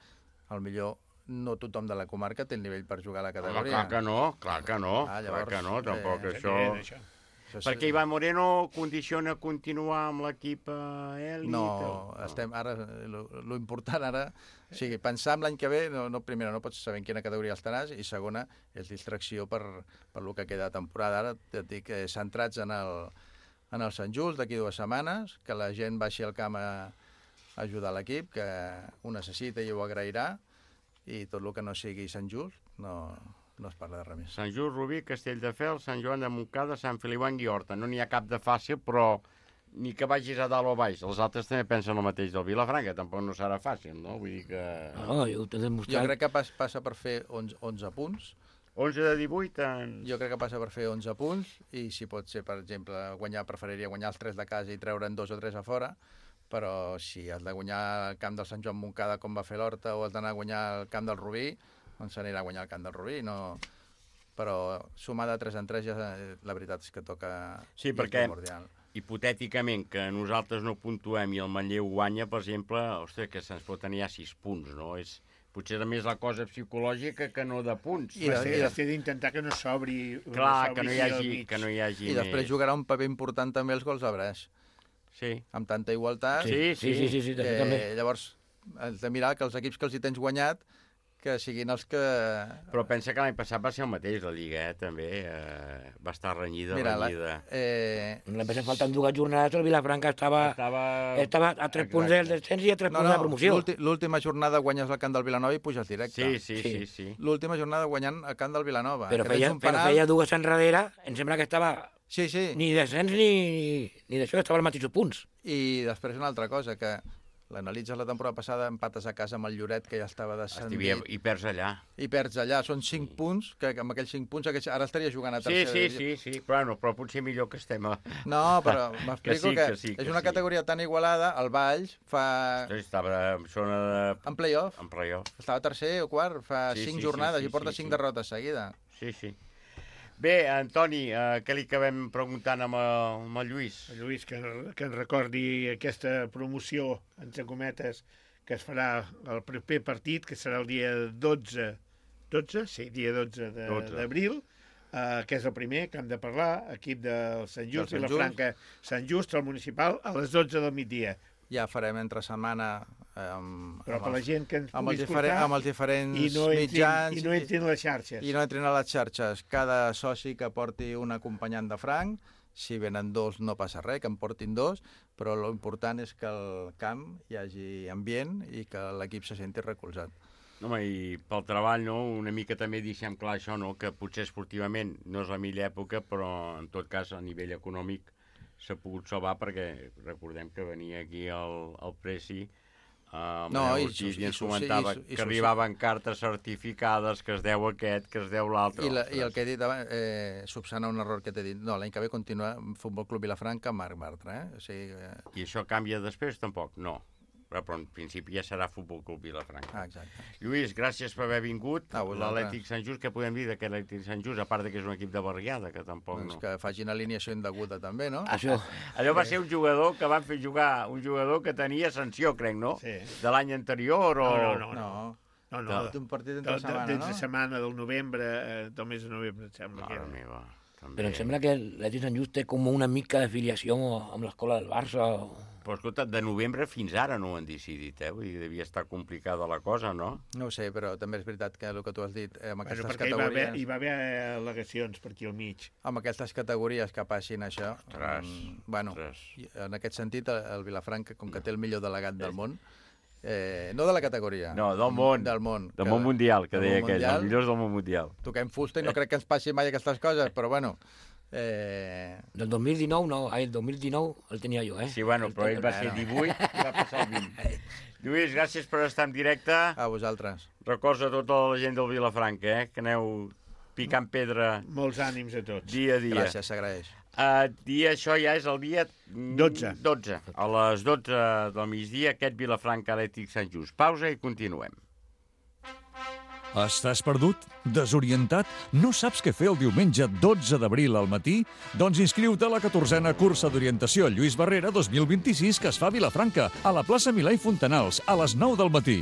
al millor no tothom de la comarca té el nivell per jugar a la Home, categoria. clar que no, clar que no, Ah, clar llavors, que no, tampoc eh, això... Evident, això. Això és- Perquè Ivan Moreno condiciona continuar amb l'equip eh, èlit? No, o- estem ara, lo, lo important ara, o sigui, pensar en l'any que ve, no, no, primera, no pots saber en quina categoria estaràs, i segona, és distracció per, per lo que queda de temporada. Ara et dic, eh, centrats en el, en el Sant Just d'aquí dues setmanes, que la gent baixi al camp a, a ajudar l'equip, que ho necessita i ho agrairà, i tot el que no sigui Sant Just, no, no es parla de res més. Sant Just, Rubí, Castelldefels, Sant Joan de Montcada, Sant Feliu i Horta. No n'hi ha cap de fàcil, però ni que vagis a dalt o a baix. Els altres també pensen el mateix del Vilafranca, tampoc no serà fàcil, no? Vull dir que... No, jo t'he Jo demostrat... crec que pas, passa per fer onze, onze punts, onze de divuit... En... jo crec que passa per fer onze punts, i si pot ser, per exemple, guanyar, preferiria guanyar els tres de casa i treure'n dos o tres a fora, però si has de guanyar el camp del Sant Joan Montcada com va fer l'Horta, o has d'anar a guanyar el camp del Rubí, doncs s'anirà a guanyar el camp del Rubí, no... Però sumar de tres en tres ja eh, la veritat és que toca... Sí, i és perquè- primordial. Hipotèticament, que nosaltres no puntuem i el Manlleu guanya, per exemple, ostres, que se'ns pot tenir ja sis punts, no? És potser més la cosa psicològica que no de punts. I de- Has i de- de d'intentar que no s'obri... Clar, s'obri que no hi aquí al hagi, mig. que no hi hagi I després més. jugarà un paper important també els gols a breix, Sí. amb tanta igualtat. Sí, Sí, sí, sí, sí, Eh, també. llavors, has de mirar que els equips que els hi tens guanyat, que siguin els que... Però pensa que l'any passat va ser el mateix, la Lliga, eh, també. Eh, va estar renyida, Mira, renyida. La, eh... L'any passat faltant dues jornades, el Vilafranca estava, Estava... estava a tres punts del descens i a tres No, punts de no, la promoció. l'últi- l'última jornada guanyes el camp del Vilanova i puges directe. Sí, sí, sí, Sí. sí. L'última jornada guanyant el camp del Vilanova. Però que tens feia, un però penal- feia dues enrere, em sembla que estava Sí, sí. ni descens ni, ni d'això, estava als mateixos punts. I després una altra cosa, que l'analitzes la temporada passada, empates a casa amb el Lloret, que ja estava descendit, Estivia, I perds allà. i perds allà. Són cinc punts, que amb aquells cinc punts aquells, ara estaria jugant a Sí, tercera sí, divisió. sí, sí, però, no, però potser millor que estem a... No, però m'explico Que sí, que, que sí, que és una sí. categoria tan igualada, el Valls fa... Estava en zona de... en play-off, En playoff. estava tercer o quart, fa Sí, cinc sí, jornades sí, sí, i porta sí, cinc sí. derrotes seguida. Sí, sí. Bé, Antoni, eh, què li acabem preguntant amb el, amb el Lluís? Lluís, que, que ens recordi aquesta promoció, entre cometes, que es farà el proper partit, que serà el dia dotze, dotze? Sí, dia dotze de- dotze. d'abril, eh, que és el primer que hem de parlar, equip del Sant Just, Del Sant Vilafranca, Sant Just, el municipal, a les dotze del migdia. Ja farem entre setmana eh, amb, Però amb, per la els, gent que ens amb, pugui els diferent, escoltar amb els diferents i no entrin, mitjans i no entrin a les xarxes. i no entrin a les xarxes. Cada soci que porti un acompanyant de franc, si venen dos no passa res, que en portin dos, però l'important és que al camp hi hagi ambient i que l'equip se senti recolzat. Home, i pel treball, no?, una mica també deixem clar això, no?, que potser esportivament no és la millor època, però en tot cas a nivell econòmic s'ha pogut salvar perquè recordem que venia aquí el, el Preci Uh, No, i Ortiz, sus- i ens i sus- comentava i su- i que sus- arribaven cartes certificades, que es deu aquest, que es deu l'altre. I, la, I el que he dit abans, eh, subsana un error que t'he dit. No, l'any que ve continua Futbol Club Vilafranca amb Marc Bartra. Eh? O sigui, eh... I això canvia després? Tampoc, no. Però, però en principi ja serà Futbol Club Vilafranca. Ah, exacte. Lluís, gràcies per haver vingut. A vosaltres. L'Atlètic Sant Just, què podem dir d'aquest Atlètic Sant Just? A part de que és un equip de barriada, que tampoc Doncs no. que facin alineació indeguda també, no? Això, Allò va ser un jugador que van fer jugar, un jugador que tenia sanció, crec, no? Sí. De l'any anterior o... No, no, no. No, No, no, d'un partit de, entre de, setmana, dins de no? setmana del novembre, eh, del mes de novembre, em sembla que Mare era. meva, també. però em sembla que l'Atlètic Sant Just té com una mica d'afiliació amb l'escola del Barça. Però escolta, de novembre fins ara no ho han decidit, eh? Vull dir, devia estar complicada la cosa, no? No ho sé, però també és veritat que el que tu has dit, eh, amb Bueno, aquestes perquè hi va, haver, categories... hi va haver al·legacions per aquí al mig. Amb aquestes categories que passin això... Ostres, mm, bueno, ostres. i en aquest sentit, el, el Vilafranca, com que té el millor delegat del món, eh, no de la categoria, No, del món. del món, Del món mundial, que del deia món aquell, mundial. els millors del món mundial. Toquem fusta i no crec que ens passi mai aquestes coses, però bueno... Eh... Del dos mil dinou, no, ai, el dos mil dinou el tenia jo, eh? Sí, bueno, però ell va ser divuit i va passar el vint. Lluís, gràcies per estar en directe. A vosaltres. Records a tota la gent del Vilafranca, eh? Que aneu picant pedra Molts ànims a tots. dia a dia. Gràcies, s'agraeix. Uh, dia, això ja és el dia... mm, dotze. dotze. A les dotze del migdia, aquest Vilafranca Atlètic Sant Just. Pausa i continuem. Estàs perdut? Desorientat? No saps què fer el diumenge dotze d'abril al matí? Doncs inscriu-te a la catorzena cursa d'orientació Lluís Barrera dos mil vint-i-sis que es fa a Vilafranca, a la plaça Milà i Fontanals, a les nou del matí.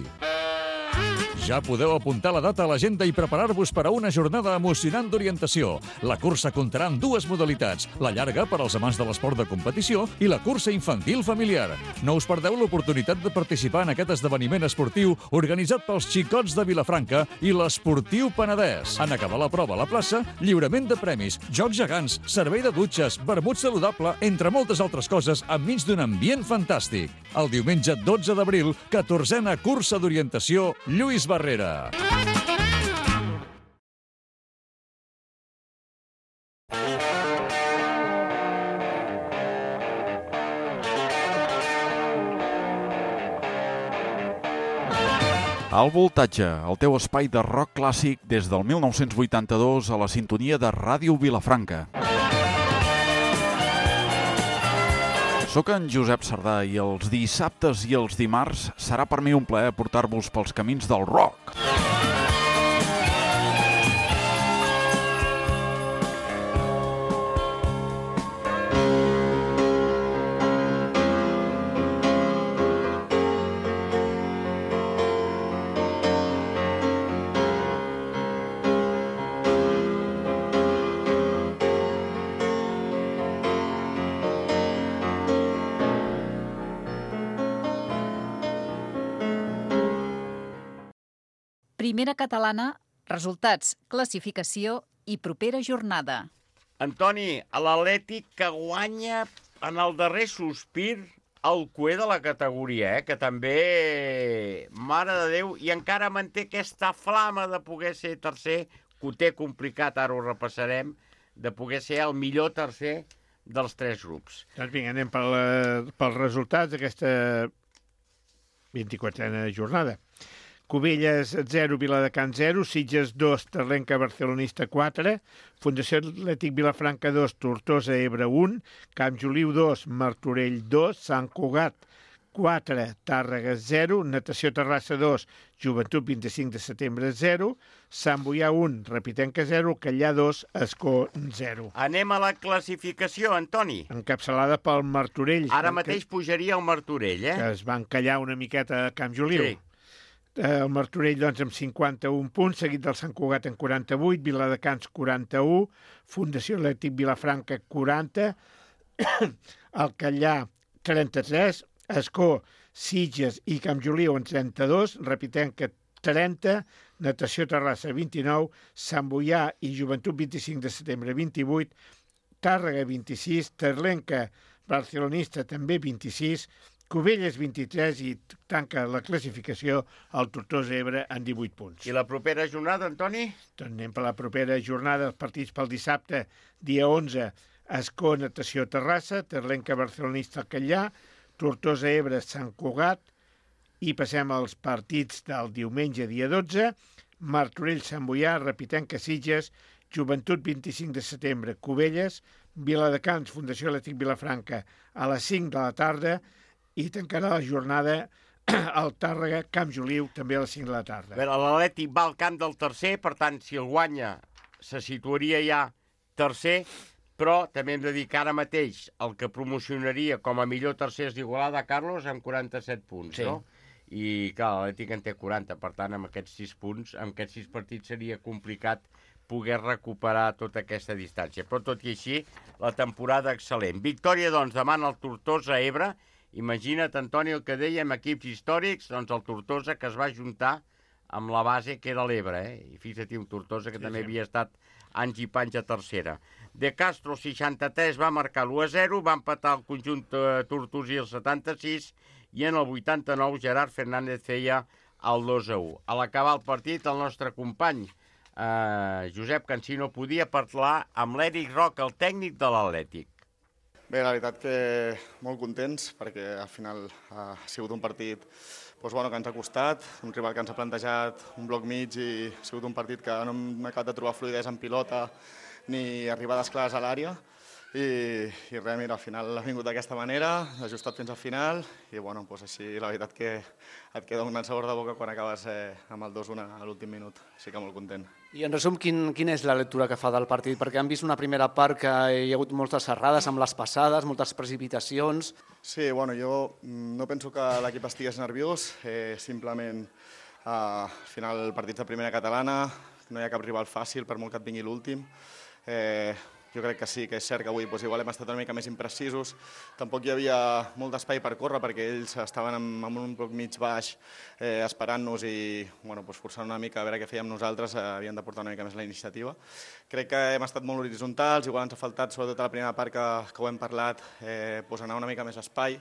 Ja podeu apuntar la data a l'agenda i preparar-vos per a una jornada emocionant d'orientació. La cursa comptarà amb dues modalitats, la llarga per als amants de l'esport de competició i la cursa infantil familiar. No us perdeu l'oportunitat de participar en aquest esdeveniment esportiu organitzat pels xicots de Vilafranca i l'Esportiu Penedès. En acabar la prova a la plaça, lliurament de premis, jocs gegants, servei de dutxes, vermut saludable, entre moltes altres coses, enmig d'un ambient fantàstic. El diumenge dotze d'abril, catorzena cursa d'orientació Lluís Barrera. Al Voltatge, el teu espai de rock clàssic des del mil nou-cents vuitanta-dos a la sintonia de Ràdio Vilafranca. Soc en Josep Sardà i els dissabtes i els dimarts serà per mi un plaer portar-vos pels camins del rock. Primera catalana, resultats, classificació i propera jornada. Antoni, l'Atlètic que guanya en el darrer sospir el cué de la categoria, eh? Que també, mare de Déu, i encara manté aquesta flama de poder ser tercer, que ho té complicat, ara ho repassarem, de poder ser el millor tercer dels tres grups. Doncs vinga, anem pel, pels resultats d'aquesta vint-i-quatrena jornada. Cubelles zero, Viladecans zero, Sitges dos, Terlenca Barcelonista quatre, Fundació Atlètic Vilafranca dos, Tortosa Ebre un, Camp Joliu dos, Martorell dos, Sant Cugat quatre, Tàrrega zero, Natació Terrassa dos, Joventut vint-i-cinc de setembre zero, Sant Boià un, Repitenca zero, Callà dos, Escó zero. Anem a la classificació, Antoni. Encapçalada pel Martorell. Ara mateix pujaria el Martorell, eh? Que es va encallar una miqueta a Camp Joliu. Sí. El Martorell, doncs, amb cinquanta-un punts, seguit del Sant Cugat en quaranta-vuit, Viladecans quaranta-u, Fundació Atlètic Vilafranca quaranta, el Callà trenta-tres, Escó, Sitges i Camp Joliu en trenta-dos, Repitenca trenta, Natació Terrassa vint-i-nou, Sant Boià i Joventut vint-i-cinc de setembre vint-i-vuit, Tàrrega vint-i-sis, Terlenca Barcelonista també vint-i-sis, Cubelles vint-i-tres i tanca la classificació el Tortosa Ebre en divuit punts. I la propera jornada, Antoni? Doncs anem per la propera jornada, els partits pel dissabte, dia onze, Escó, Natació Terrassa, Terlenca Barcelonista Callà, Tortosa Ebre, Sant Cugat, i passem als partits del diumenge, dia dotze, Martorell, Sant Boià, Repitenca, Sitges, Joventut vint-i-cinc de setembre, Cubelles, Viladecans, Fundació Atlètic Vilafranca, a les cinc de la tarda, i tancarà la jornada al Tàrrega, Camp Joliu, també a les cinc de la tarda. L'Atlètic va al camp del tercer, per tant, si el guanya, se situaria ja tercer, però també hem de dir que ara mateix el que promocionaria com a millor tercer és d'Igualada, Carlos, amb quaranta-set punts, sí. No? I, clar, l'Atlètic en té quaranta, per tant, amb aquests sis punts, amb aquests sis partits seria complicat poder recuperar tota aquesta distància. Però, tot i així, la temporada excel·lent. Victòria, doncs, demana el Tortosa Ebre. Imagina't, Antoni, el que dèiem, equips històrics, doncs el Tortosa que es va juntar amb la base que era l'Ebre, eh? I fixa't, un Tortosa que sí, també sí. havia estat anys i panys a tercera. De Castro, seixanta-tres, va marcar l'u a zero, va empatar el conjunt eh, tortosí el setanta-sis, i en el vuitanta-nou Gerard Fernández feia el dos a u. A l'acabar el partit, el nostre company, eh, Josep Cansino, podia parlar amb l'Eric Roca, el tècnic de l'Atlètic. Bé, la veritat que molt contents, perquè al final ha sigut un partit doncs, bueno, que ens ha costat, un rival que ens ha plantejat un bloc mig i ha sigut un partit que no hem acabat de trobar fluïdesa en pilota ni arribades clares a l'àrea. I, i res, mira, al final ha vingut d'aquesta manera, ha ajustat fins al final i bueno, doncs així la veritat que et queda un gran sabor de boca quan acabes eh, amb el dos a un a l'últim minut, així que molt content. I en resum, quin, quina és la lectura que fa del partit? Perquè han vist una primera part que hi ha hagut moltes errades amb les passades, moltes precipitacions. Sí, bueno, jo no penso que l'equip estigués nerviós, eh, simplement eh, al final partits de primera catalana, no hi ha cap rival fàcil per molt que et vingui l'últim. Eh, Jo crec que sí, que és cert que avui doncs, igual hem estat una mica més imprecisos. Tampoc hi havia molt d'espai per córrer perquè ells estaven en, en un bloc mig baix eh, esperant-nos i bueno, doncs, forçant una mica a veure què fèiem nosaltres, eh, havien de portar una mica més la iniciativa. Crec que hem estat molt horitzontals, igual ens ha faltat, sobretot a la primera part que, que ho hem parlat, eh, doncs anar una mica més espai,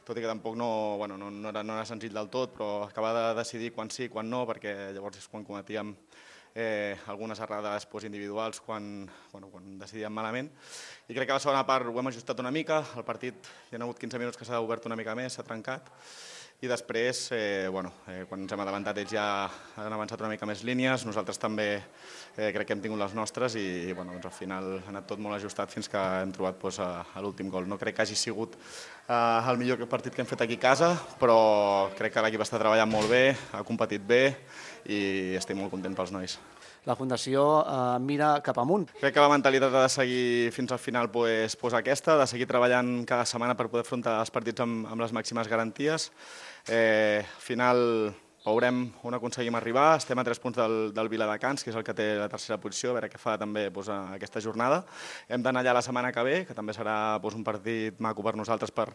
tot i que tampoc no, bueno, no, no, era, no era senzill del tot, però acabar de decidir quan sí, quan no, perquè llavors és quan cometíem Eh, algunes errades pues, individuals quan, bueno, quan decidíem malament. I crec que a la segona part ho hem ajustat una mica, el partit hi ha hagut quinze minuts que s'ha obert una mica més, s'ha trencat, i després, eh, bueno, eh, quan ens hem adelantat ells ja han avançat una mica més línies, nosaltres també eh, crec que hem tingut les nostres i, i bueno, doncs, al final ha anat tot molt ajustat fins que hem trobat pues, a, a l'últim gol. No crec que hagi sigut eh, el millor partit que hem fet aquí a casa, però crec que l'equip està treballant molt bé, ha competit bé, i estic molt content pels nois. La Fundació eh, mira cap amunt. Crec que la mentalitat ha de seguir fins al final pues, pues aquesta, de seguir treballant cada setmana per poder afrontar els partits amb, amb les màximes garanties. Eh, al final veurem on aconseguim arribar. Estem a tres punts del, del Viladecans, que és el que té la tercera posició, a veure què fa també doncs, aquesta jornada. Hem d'anar allà la setmana que ve, que també serà doncs, un partit maco per nosaltres per,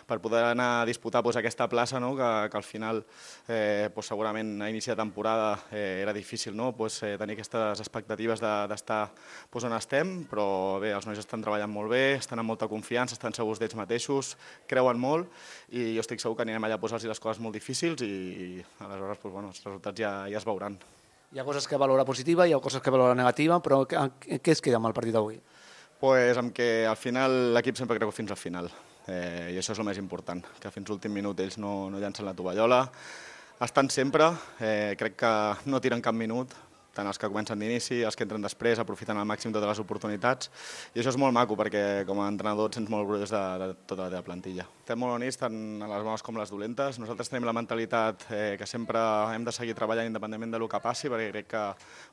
per poder anar a disputar doncs, aquesta plaça, no? que, que al final eh, doncs, segurament a inici de temporada eh, era difícil no? doncs, eh, tenir aquestes expectatives d'estar de, doncs, on estem, però bé, els nois estan treballant molt bé, estan amb molta confiança, estan segurs d'ells mateixos, creuen molt i jo estic segur que anirem allà a posar-los les coses molt difícils i, i aleshores doncs, bueno, els resultats ja, ja es veuran. Hi ha coses que valora positiva, hi ha coses que valora negativa, però què es queda amb el partit d'avui? Pues amb que al final l'equip sempre creu fins al final eh, i això és el més important, que fins l'últim minut ells no, no llancen la tovallola, estan sempre, eh, crec que no tiren cap minut, tant els que comencen d'inici, els que entren després, aprofiten al màxim totes les oportunitats. I això és molt maco, perquè com a entrenador et sents molt orgullós de, de tota la teva plantilla. Estem molt units, tant a les bones com les dolentes. Nosaltres tenim la mentalitat eh, que sempre hem de seguir treballant independentment del que passi, perquè crec que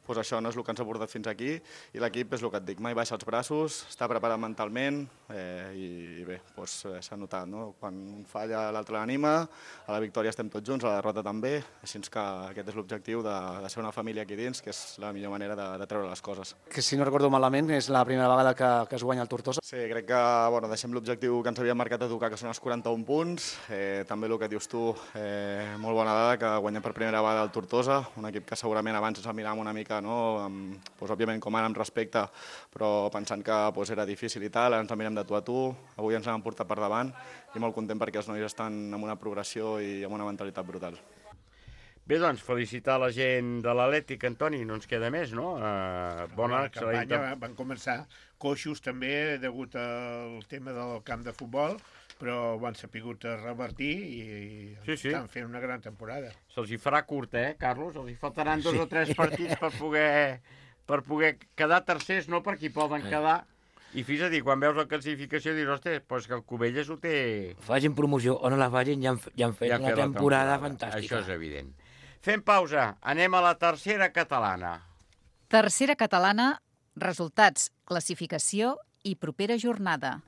pues, això no és el que ens ha portat fins aquí, i l'equip és el que et dic, mai baixa els braços, està preparat mentalment, eh, i, i bé, pues, eh, s'ha notat, no? Quan falla l'altre l'anima, a la victòria estem tots junts, a la derrota també, així que aquest és l'objectiu de, de ser una família aquí dins, que és la millor manera de, de treure les coses. Que si no recordo malament és la primera vegada que, que es guanya el Tortosa. Sí, crec que bueno, deixem l'objectiu que ens havíem marcat a tocar, que són els quaranta-un punts. Eh, també el que dius tu, eh, molt bona dada, que guanyem per primera vegada el Tortosa, un equip que segurament abans ens el miràvem una mica, no? amb, doncs, òbviament com ara amb respecte, però pensant que doncs, era difícil i tal, ara ens el mirem de tu a tu, avui ens l'hem portat per davant i molt content perquè els nois estan amb una progressió i amb una mentalitat brutal. Bé, doncs, felicitar la gent de l'Atlètic, Antoni, no ens queda més, no? Uh, bona la campanya van començar coixos també degut al tema del camp de futbol, però ho han sapigut revertir i sí, sí. estan fent una gran temporada. Se'ls hi farà curt, eh, Carlos? Els hi faltaran dos sí. o tres partits per poder, per poder quedar tercers, no per qui poden quedar. I fins a dir, quan veus la classificació, dius, ostres, doncs que el Cubelles ho té... Facin promoció o no la facin, ja han, ja han fet ja una temporada, temporada fantàstica. Això és evident. Fem pausa, anem a la tercera catalana. Tercera catalana, resultats, classificació i propera jornada.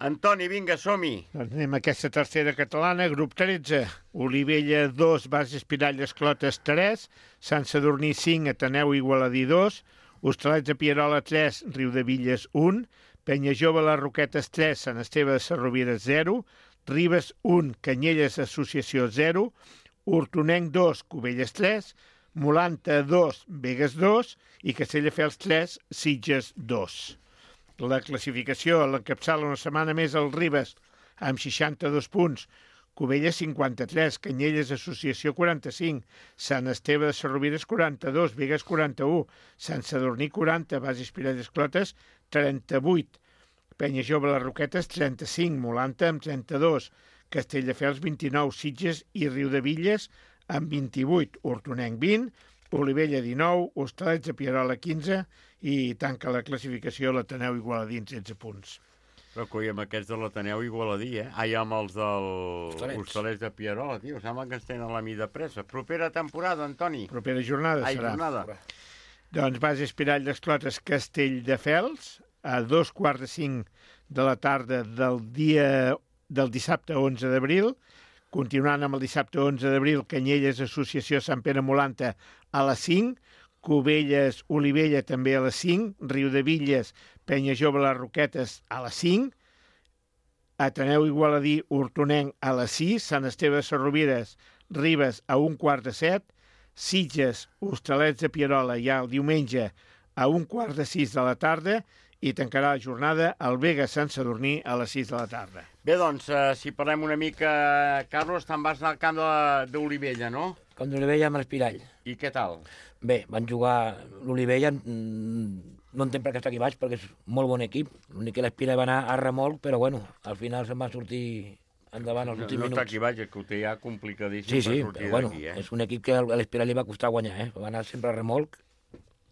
Antoni, vinga, som-hi. Doncs anem a aquesta tercera catalana, grup tretze. Olivella dos, Bases Piralles Clotes tres, Sant Sadurní cinc, Ateneu Igualadí dos, Hostalets de Pierola tres, Riudevilles un, Penyajove Les Roquetes tres, Sant Esteve de Sarrovires zero, Ribes un, Canyelles Associació zero, Hortonenc dos, Cubelles tres, Molanta dos, Begues dos i Castelldefels tres, Sitges dos. La classificació l'encapçala una setmana més el Ribes amb seixanta-dos punts, Cubelles cinquanta-tres, Canyelles Associació quaranta-cinc, Sant Esteve de Sarrovires quaranta-dos, Begues quaranta-u, Sant Sadurní quaranta, Bases Piralles Clotes trenta-vuit, Penyajove Les Roquetes trenta-cinc, Molanta amb trenta-dos, Castelldefels vint-i-nou, Sitges i Riudevilles amb vint-i-vuit, Hortonenc vint, Olivella dinou, Hostalets de Pierola quinze i tanca la classificació l'Ateneu Igualadí amb setze punts. Però coi, amb aquests de l'Ateneu Igualadí, eh? Ai, amb els dels Hostalets de Pierola, tio, sembla que ens tenen la mida pressa. Propera temporada, Antoni. Propera jornada Ai, serà. jornada. Doncs Bases Piralles Clotes Castelldefels a dos quarts de cinc de la tarda del dia del dissabte onze d'abril, continuant amb el dissabte onze d'abril, Canyelles Associació Sant Pere Molanta a les cinc, Cubelles Olivella també a les cinc, Riudevilles Penyajove Les Roquetes a les cinc, Ateneu Igualadí Hortonenc a les sis, Sant Esteve de Sarrovires Ribes a un quart de set, Sitges Hostalets de Pierola ja el diumenge a un quart de sis de la tarda i tancarà la jornada al Vega Sant Sadurní a les sis de la tarda. Bé, doncs, eh, si parlem una mica, Carlos, te'n vas anar al camp d'Olivella, no? Camp d'Olivella amb l'Espirall. I què tal? Bé, van jugar l'Olivella, no entenc per què està aquí baix, perquè és molt bon equip. L'únic que l'Espirall va anar a remolc, però bueno, al final se'n va sortir endavant els últims no, no minuts. No està aquí baix, que ho té ja complicadíssim sí, sí, per sortir bueno, d'aquí, eh? És un equip que a l'Espirall li va costar guanyar, eh? Va anar sempre a remolc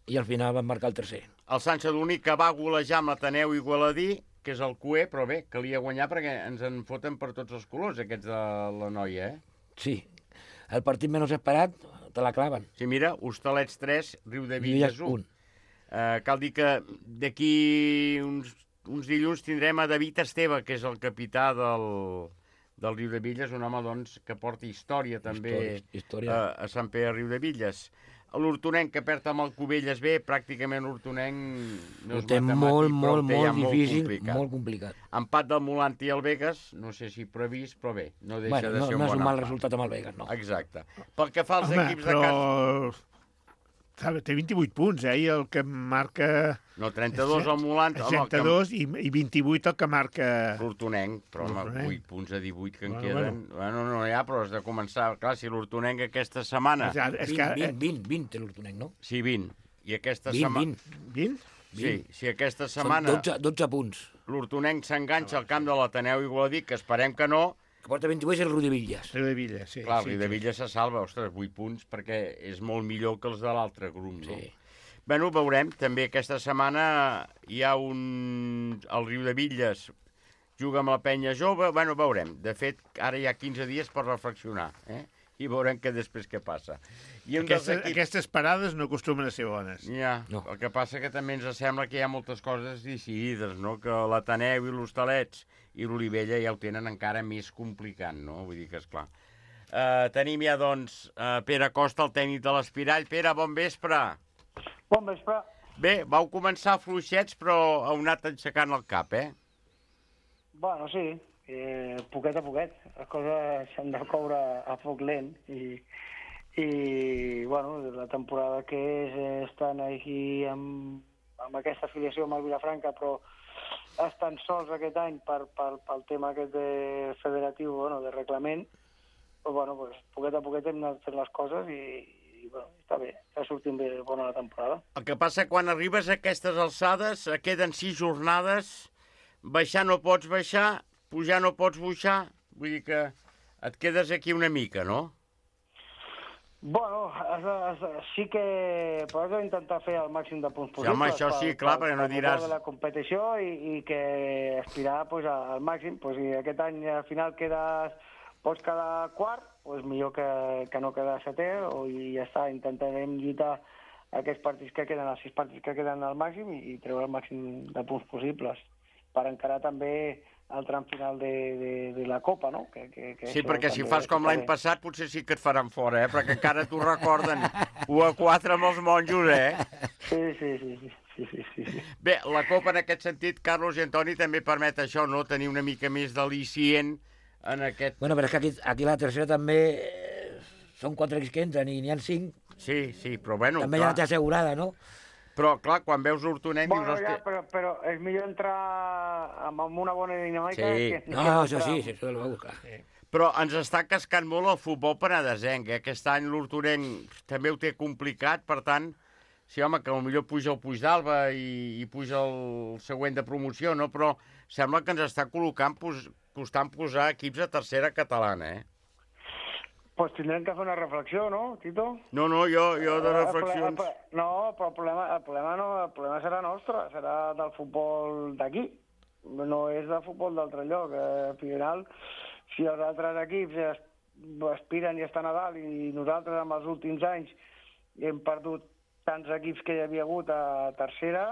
i al final van marcar el tercer. El Sant Sadurní que va golejar amb l'Ateneu Igualadí, que és el cué, però bé, calia guanyar perquè ens en foten per tots els colors, aquests de la noia, eh? Sí, el partit menys esperat te la claven. Sí, mira, Hostalets tres, Riudevilles un. Uh, cal dir que d'aquí uns, uns dilluns tindrem a David Esteve, que és el capità del, del Riudebitlles, un home doncs, que porta història també Història, història. A, a Sant Pere Riudebitlles. L'Hortonenc, que perd amb el Cubelles bé, pràcticament l'Hortonenc no Ho és té matemàtic, molt, però molt, ho té ja molt difícil, complicat. molt complicat. Empat del Molanti i el Vegas, no sé si previst, però bé, no deixa Bueno, de no, ser un no és bon un mal empat. resultat amb el Vegas, no. Exacte. Pel que fa als Home, equips de però... casa... Sabe, té vint-i-vuit punts, eh? I el que marca... No, trenta-dos al Molanti... trenta-dos i, i vint-i-vuit el que marca... L'Hortonenc, però home, vuit punts a divuit que en Bueno, queden... Bueno. bueno, no hi ha, però has de començar... Clar, si l'Hortonenc aquesta setmana... Ja, és que... vint, vint, vint, té l'Hortonenc, no? Sí, vint. I aquesta vint, setmana... vint. vint? Sí, si aquesta Són setmana dotze, dotze punts. l'Hortonenc s'enganxa al camp de l'Ateneu Igualadí, que esperem que no... Que porta vint-i-vuit és el Riudebitlles. Riudebitlles, sí. Clar, sí, el Riudebitlles se salva, ostres, vuit punts, perquè és molt millor que els de l'altre grup, no? Sí. Bueno, veurem. També aquesta setmana hi ha un... El Riudebitlles juga amb la penya jove. Bueno, veurem. De fet, ara hi ha quinze dies per reflexionar, eh? I veurem que després què passa. I un Aquestes, equips... aquestes parades no acostumen a ser bones. Ja, No. el que passa que també ens sembla que hi ha moltes coses decidides, no? Que l'Ateneu i l'Hostalets i l'Olivella ja ho tenen encara més complicat, no? Vull dir que, esclar. Uh, tenim ja, doncs, uh, Pere Costa, el tècnic de l'Espirall. Pere, bon vespre. Bon vespre. Bé, vau començar fluixets, però heu anat aixecant el cap, eh? Bueno, sí, eh, poquet a poquet. Les coses s'han de coure a foc lent i, i bueno, la temporada que és eh, estan aquí amb, amb aquesta afiliació amb el Vilafranca, però estan sols aquest any per, per, pel tema aquest de federatiu, bueno, de reglament. Però, bueno, pues, poquet a poquet hem anat fent les coses i, i bueno, està bé, està sortint bé bona la temporada. El que passa, quan arribes a aquestes alçades, eh, queden sis jornades, baixar no pots baixar, pujar no pots pujar, vull dir que et quedes aquí una mica, no? Bueno, has de, has de, sí que però has d'intentar fer el màxim de punts possibles. Sí, home, això sí, clar, perquè no diràs... de la competició i, i que aspirar pues, al màxim. Pues, si aquest any al final quedes, pots quedar quart, pues, millor que, que no quedar setè, o, i ja està, intentarem lluitar aquests partits que queden, els sis partits que queden al màxim i, i treure el màxim de punts possibles per encarar també el tram final de, de, de la Copa, no? Que, que, que Sí, això perquè si també fas com l'any també. passat potser sí que et faran fora, eh? Perquè encara t'ho recorden u a quatre amb els monjos, eh? Sí, sí, sí, sí, sí, sí, sí, sí. Bé, la Copa en aquest sentit, Carlos i Antoni, també permet això, no? Tenir una mica més d'al·licient en aquest... Bueno, però és que aquí, aquí la tercera també eh, són quatre equips que entren i n'hi ha cinc. Sí, sí, però bueno, També clar. ja la té assegurada, no? Però, clar, quan veus l'Hortonenc... Bueno, dius, ja, "Hosti, però, però és millor entrar amb, amb una bona dinàmica Sí. que, No, que això entrar- sí, sí, això ho clar. Però ens està cascant molt el futbol penedesenc, eh? Aquest any l'Hortonenc també ho té complicat, per tant, sí, home, que potser puja el Puig d'Alba i, i puja el següent de promoció, no? Però sembla que ens està col·locant, pos, costant posar equips a tercera catalana, eh? Pues tindrem que fer una reflexió, no, Tito? No, no, jo, jo de Eh, el reflexions... ple- el ple- No, però el problema, el, problema no, el problema serà nostre, serà del futbol d'aquí. No és del futbol d'altre lloc. Eh, al final, si els altres equips es, aspiren i estan a dalt i nosaltres en els últims anys hem perdut tants equips que hi havia hagut a tercera,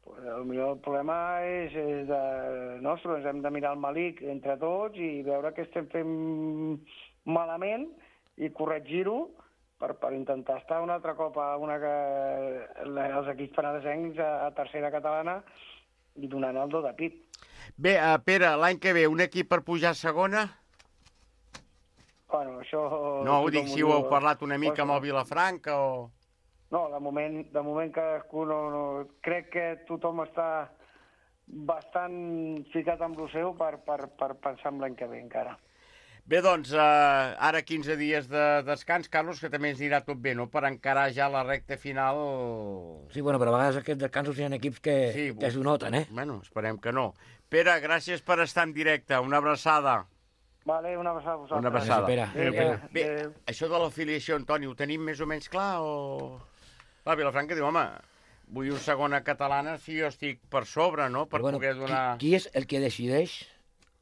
pues, el millor problema és, és de nostre. Ens hem de mirar el malic entre tots i veure què estem fent malament i corregir-ho per, per intentar estar un altre cop a una que, els equips penedesencs a, a tercera catalana i donant el do de pit. Bé, uh, Pere, l'any que ve, un equip per pujar a segona? Bueno, això... No, ho dic, tothom si ho heu diu. parlat una mica Pues, amb el Vilafranca o... No, de moment, de moment cadascú no, no... Crec que tothom està bastant ficat amb el seu per, per, per pensar en l'any que ve encara. Bé, doncs, uh, ara quinze dies de descans, Carlos, que també ens anirà tot bé, no?, per encarar ja la recta final... Sí, bueno, però a vegades aquests descansos hi ha equips que, Sí, que s'ho noten, eh? Bueno, esperem que no. Pere, gràcies per estar en directe. Una abraçada. Vale, una abraçada a vosaltres. Una abraçada. Pere. Adéu, Adéu. Pere. Bé, Adéu. això de l'afiliació, Antoni, ho tenim més o menys clar o...? Va, Vilafranca diu, home, vull una segona catalana si jo estic per sobre, no?, per Però, bueno, poder donar... qui, qui és el que decideix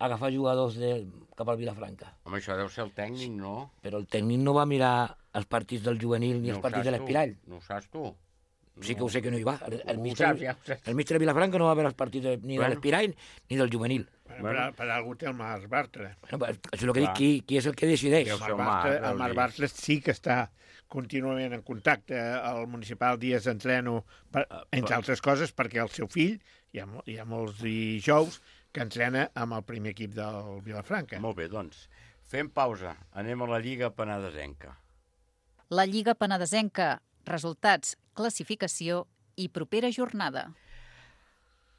agafar jugadors de, cap al Vilafranca? Home, això deu ser el tècnic, no? Però el tècnic no va mirar els partits del juvenil ni No els ho partits saps de l'Espirall. tu, No ho saps tu. Sí que ho sé que no hi va. El, el, Ho míster, saps, ja ho saps. el míster de Vilafranca no va veure els partits ni Bueno. de l'Espirall ni del juvenil. Per, per, per algú té el Marc Bartra. Bueno, això és el que Clar. dic, qui, qui és el que decideix? El Marc Bartra, el Marc Bartra sí que està contínuament en contacte. Al municipal dies d'entreno, per, entre altres coses, perquè el seu fill, hi ha, mo- hi ha molts dijous, que entrena amb el primer equip del Vilafranca. Molt bé, doncs. Fem pausa. Anem a la Lliga Penedesenca. La Lliga Penedesenca. Resultats, classificació i propera jornada.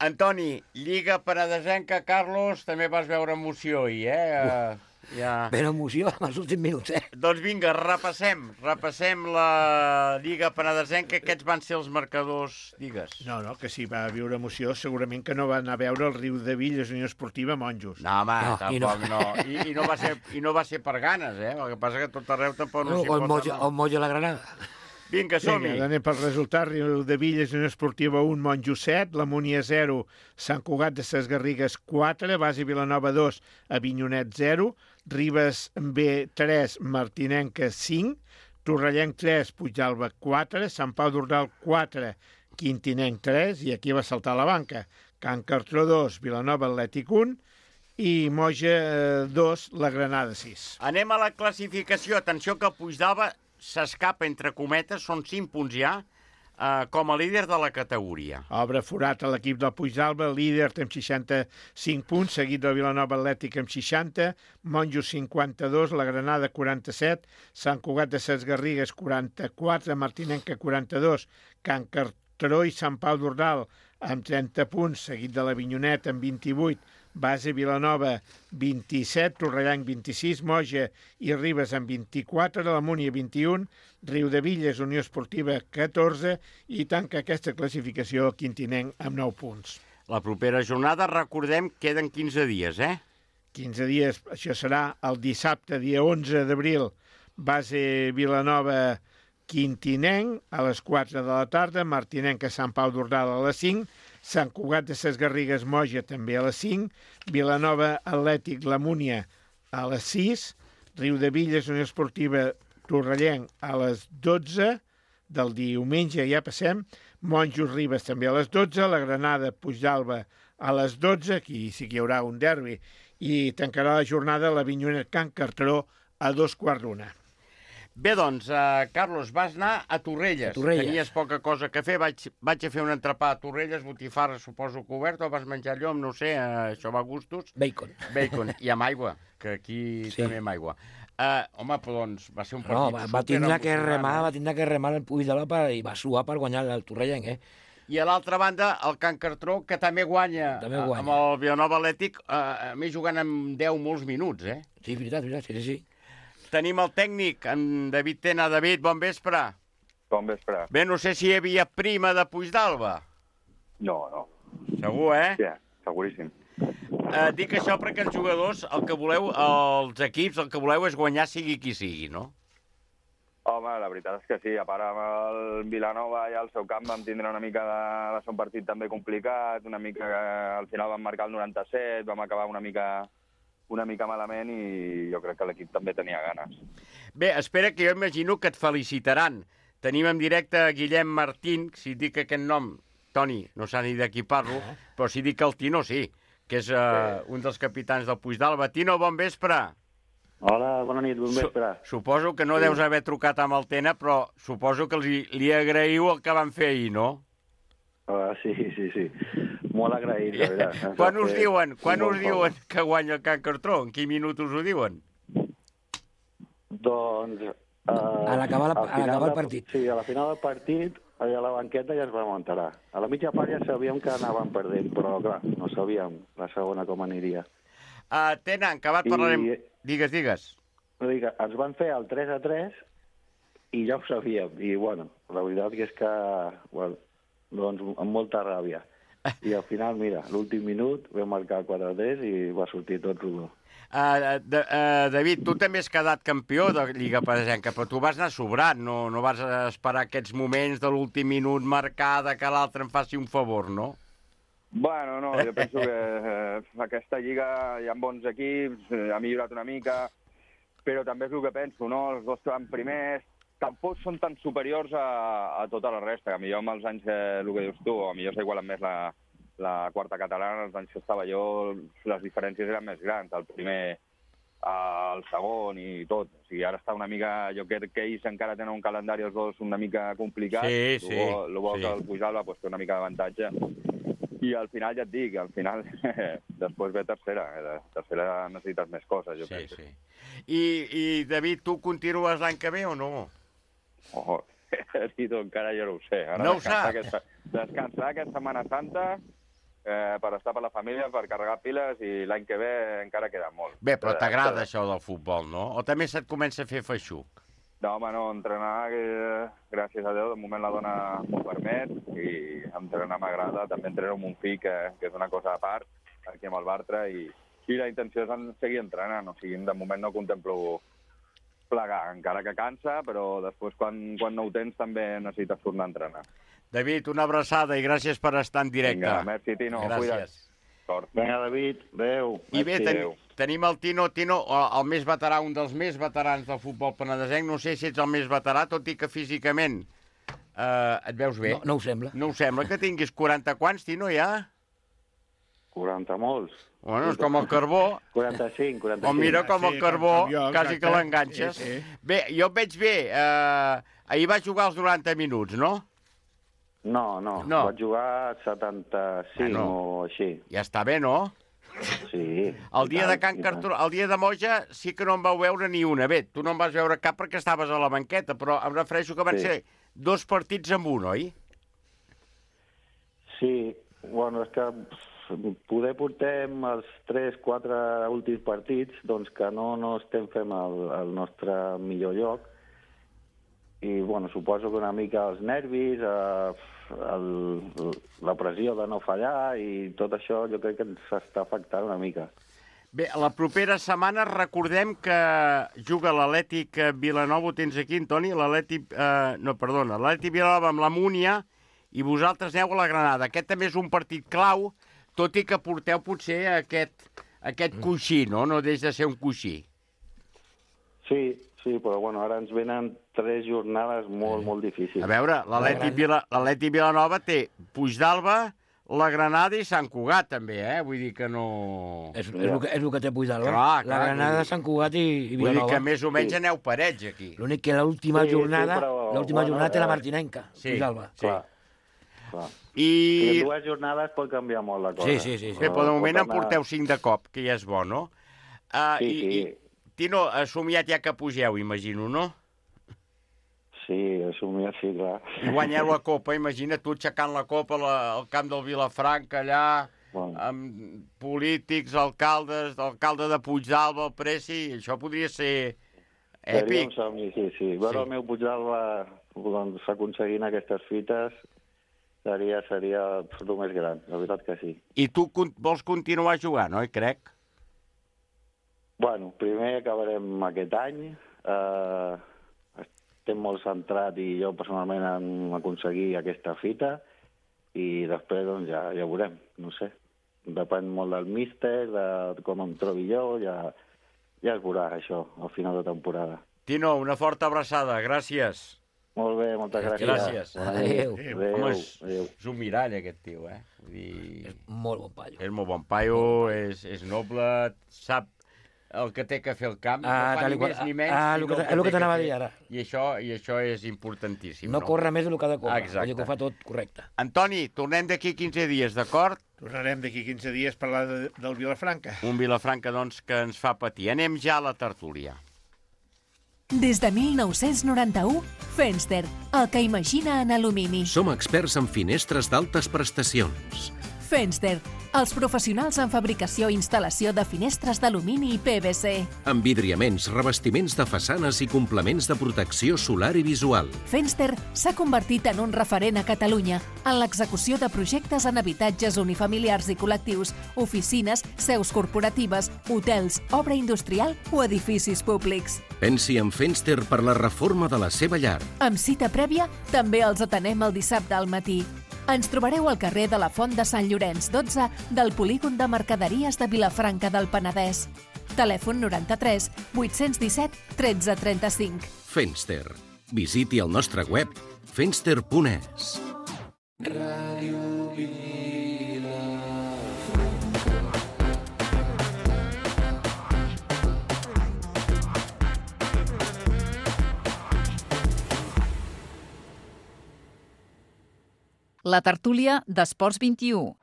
Antoni, Lliga Penedesenca, Carlos, també vas veure emoció ahir, eh? Uh, ja... Ben emoció en els últims minuts, eh? Doncs vinga, repassem. Repassem la Lliga Penedesenca. Aquests van ser els marcadors, digues. No, no, que si va viure emoció, segurament que no va anar a veure el Riu de Villes, Unió Esportiva, Monjos. No, home, No, i tampoc no. no. I, i, no va ser, I no va ser per ganes, eh? El que passa que a tot arreu tampoc no, No, s'hi o el pot Molla, anar. o el Molla la Granada. Vinga, som-hi. Vinga, anem pel resultat. Riu de Villes, Unió Esportiva un, Monjos set, la Múnia zero, Sant Cugat de Ses Garrigues quatre, Basi Vilanova dos, Avinyonet zero, Ribes B tres, Martinenca cinc, Torrellenc tres, Puigdàlber quatre, Sant Pau d'Ordal quatre, Quintinenc tres, i aquí va saltar la banca, Can Cartró dos, Vilanova Atlètic un, i Moja dos, la Granada sis. Anem a la classificació. Atenció que Puigdàlber s'escapa, entre cometes, són cinc punts ja, eh, com a líder de la categoria. Obre forat a l'equip del Puigdàlber, líder amb seixanta-cinc punts, seguit del Vilanova Atlètic amb seixanta, Monjos cinquanta-dos, la Granada quaranta-set, Sant Cugat de Ses Garrigues quaranta-quatre, Martinenca quaranta-dos, Can Cartró i Sant Pau d'Ordal amb trenta punts, seguit de l'Avinyonet amb vint-i-vuit, Base Vilanova vint-i-set, Torrellanc vint-i-sis, Moja i Ribes amb vint-i-quatre, la Múnia vint-i-un, Riu de Villes, Unió Esportiva catorze i tanca aquesta classificació Quintinenc amb nou punts. La propera jornada, recordem, queden quinze dies, eh? quinze dies, això serà el dissabte, dia onze d'abril, Base Vilanova Quintinenc a les quatre de la tarda, Martinenca Sant Pau d'Ordal a les cinc, Sant Cugat de Ses Garrigues Moja també a les cinc, Vilanova Atlètic La Múnia a les sis, Riu de Villes Unió Esportiva Torrellenc a les dotze, del diumenge ja passem, Monjos Ribes també a les dotze, la Granada Puigdàlber a les dotze, aquí sí que hi haurà un derbi, i tancarà la jornada l'Avinyonet Can Cartró a dos quarts d'una. Bé, doncs, uh, Carlos, vas anar a Torrelles. A Torrelles. Tenies poca cosa que fer. Vaig, vaig a fer un entrepà a Torrelles, botifarra, suposo que obert, o vas menjar llom, no ho sé, uh, això va a gustos. Bacon. Bacon, i amb aigua, que aquí Sí. també amb aigua. Uh, home, però doncs va ser un partit... No, va, va tindre que superemocionant, remar, eh? va tindre que remar el Puigdàlber per, i va suar per guanyar el Torrellenc, eh? I a l'altra banda, el Can Cartró, que també guanya, També eh, guanya. amb el Vilanova Atlètic, uh, a més jugant amb deu molts minuts, eh? Sí, veritat, veritat, sí, sí, sí. Tenim el tècnic, en David Tena. David, bon vespre. Bon vespre. Bé, no sé si hi havia prima de Puigdàlber. No, no. Segur, eh? Sí, seguríssim. Eh, dic això perquè els jugadors, el que voleu, els equips, el que voleu és guanyar sigui qui sigui, no? Home, la veritat és que sí. A part amb el Vilanova i al seu camp vam tindre una mica de... va ser un partit també complicat, una mica... al final vam marcar el noranta-set, vam acabar una mica una mica malament i jo crec que l'equip també tenia ganes. Bé, espera, que jo imagino que et felicitaran. Tenim en directe a Guillem Martín, si dic aquest nom, Toni, no s'ha ni de qui parlo, però si dic el Tino, sí, que és uh, un dels capitans del Puigdàlber. Tino, bon vespre. Hola, bona nit, bon vespre. Su suposo que no Sí. deus haver trucat amb el Tena, però suposo que li, li agraïu el que van fer ahir, no? Uh, sí, sí, sí. Molt agraït, la veritat. Ens Quan va us fer diuen, quan molt us diuen que guanya el Can Cartró? En quin minut us ho diuen? Doncs... Uh, A l'acabar la- al a l'acabar final el de- partit. Sí, a la final del partit, allà a la banqueta ja es va enterar. A la mitja part ja sabíem que anàvem perdent, però clar, no sabíem la segona com aniria. Uh, Tena, en acabat I- parlarem... Digues, digues. No dic, ens van fer el tres a tres i ja ho sabíem. I, bueno, la veritat que és que, bueno, doncs, amb molta ràbia. I al final, mira, l'últim minut vam marcar quatre a tres i va sortir tot rodó. Uh, de, uh, David, tu també has quedat campió de Lliga Penedesenca, però tu vas anar sobrat, no, no vas esperar aquests moments de l'últim minut marcada que l'altre em faci un favor, no? Bueno, no, jo penso que eh, aquesta lliga hi ha bons equips, eh, ha millorat una mica, però també és el que penso, no? Els dos que van primers tampoc són tan superiors a, a tota la resta. A millor amb els anys, eh, el que dius tu, a millor s'igualen més la, la quarta catalana, els anys que estava jo, les diferències eren més grans. El primer, el segon i tot. O sigui, ara està una mica... Jo crec que ells encara tenen un calendari els dos una mica complicat. Sí, sí. El bo sí. que el Pujalba pues, té una mica d'avantatge. I al final, ja et dic, al final després ve tercera. Eh? Tercera necessites més coses, jo sí, crec. Sí. I, I, David, tu continues l'any que ve o no? Oh, Tito, encara jo no ho sé. Ara no ho descansar saps? Aquesta, descansar aquesta Setmana Santa eh, per estar per la família, per carregar piles, i l'any que ve encara queda molt. Bé, però t'agrada això del futbol, no? O també se't comença a fer feixuc? No, home, no, entrenar, que, gràcies a Déu, de moment la dona m'ho permet, i entrenar m'agrada. També entreno amb un fill, que, que és una cosa a part, aquí amb el Bartra, i, i la intenció és seguir entrenant. O sigui, de moment no contemplo plegar, encara que cansa, però després, quan, quan no ho tens, també necessites tornar a entrenar. David, una abraçada i gràcies per estar en directe. Vinga, merci, Tino, gràcies. Cuida't. Vinga, David, adéu. I bé, ten, tenim el Tino, Tino, el més veterà, un dels més veterans del futbol penedesenc. No sé si ets el més veterà, tot i que físicament eh, et veus bé. No, no ho sembla. No ho sembla, que tinguis quaranta quants, Tino, ja? quaranta molts. Bueno, és com el carbó. quaranta-cinc, quaranta-cinc. O mira com el carbó, com jo, quasi que l'enganxes. Sí, sí. Bé, jo et veig bé. Eh, ahir va jugar els noranta minuts, no? No, no, no. vaig jugar setanta-cinc ah, no. o així. Ja està bé, no? Sí. El dia de Can Cartó, el dia de Moja sí que no em vau veure ni una. Bé, tu no em vas veure cap perquè estaves a la banqueta, però em refereixo que van sí. ser dos partits amb un, oi? Sí, bueno, és que poder portem els tres, quatre últims partits, doncs que no, no estem fent el, el nostre millor lloc. I, bueno, suposo que una mica els nervis, eh, el, la pressió de no fallar i tot això jo crec que ens està afectant una mica. Bé, la propera setmana recordem que juga l'Atlètic Vilanova, ho tens aquí, Antoni, l'Atlètic, eh, no, perdona, l'Atlètic Vilanova amb la Múnia i vosaltres aneu a la Granada. Aquest també és un partit clau, tot i que porteu potser aquest, aquest coixí, no? No deix de ser un coixí. Sí, sí, però bueno, ara ens venen tres jornades molt, molt difícils. A veure, l'Atlètic Vila, Vilanova té Puigdàlber, la Granada i Sant Cugat, també, eh? Vull dir que no... És, és, el, que, és el que té Puigdàlber. Clar, la Granada, Sant Cugat i, i Vilanova. Vull dir que més o menys sí. aneu parets, aquí. L'únic que l'última sí, jornada, sí, però, l'última bueno, jornada té eh, la Martinenca, sí, Puigdàlber. Sí. Clar, clar. I... I en dues jornades pot canviar molt la cosa. Sí, sí, sí. sí. Bé, però de moment anar... en porteu cinc de cop, que ja és bo, no? Uh, sí, i, sí. I, Tino, ha somiat ja que pugeu, imagino, no? Sí, assumir, sí, clar. I guanyeu la Copa, imagina tu aixecant la Copa la, al camp del Vilafranca, allà, bueno. amb polítics, alcaldes, l'alcalde de Puigdàlber, el Preci, això podria ser èpic. Seria un somni, sí, sí. Veure sí. el meu Puigdàlber doncs, aconseguint aquestes fites seria, seria el més gran, la veritat que sí. I tu vols continuar jugant, oi, crec? Bueno, primer acabarem aquest any. Eh, estem molt centrats i jo personalment en aconseguir aquesta fita i després doncs, ja, ja veurem, no sé. Depèn molt del míster, de com em trobi jo, ja, ja es veurà això al final de temporada. Tino, una forta abraçada, gràcies. Molt bé, moltes gràcies. Gràcies. Adéu. Adéu. Home, és, Adéu. és un mirall, aquest tio, eh? Vull dir... És molt bon paio. És molt bon paio, és, és noble, sap el que té que fer el camp, Ah, no fa tal ni i qual. més ni menys. Ah, sinó el que, el el que té t'anava a fer. dir ara. I això, I això és importantíssim. No, no corre més del que ha de córrer. Exacte. Vull dir que ho fa tot correcte. Antoni, tornem d'aquí quinze dies, d'acord? Tornarem d'aquí quinze dies a parlar de, del Vilafranca. Un Vilafranca, doncs, que ens fa patir. Anem ja a la tertúlia. Des de mil nou-cents noranta-u, Fenster, el que imagina en alumini. Som experts en finestres d'altes prestacions. Fenster, els professionals en fabricació i instal·lació de finestres d'alumini i P V C. Envidriaments, revestiments de façanes i complements de protecció solar i visual. Fenster s'ha convertit en un referent a Catalunya en l'execució de projectes en habitatges unifamiliars i col·lectius, oficines, seus corporatives, hotels, obra industrial o edificis públics. Pensi en Fenster per la reforma de la seva llar. Amb cita prèvia, també els atenem el dissabte al matí. Ens trobareu al carrer de la Font de Sant Llorenç dotze del polígon de mercaderies de Vilafranca del Penedès. Telèfon noranta-tres vuit-cents disset tretze trenta-cinc. Fenster, visiti el nostre web fenster punt es. Ràdio Vila. La tertúlia d'Esports vint-i-u.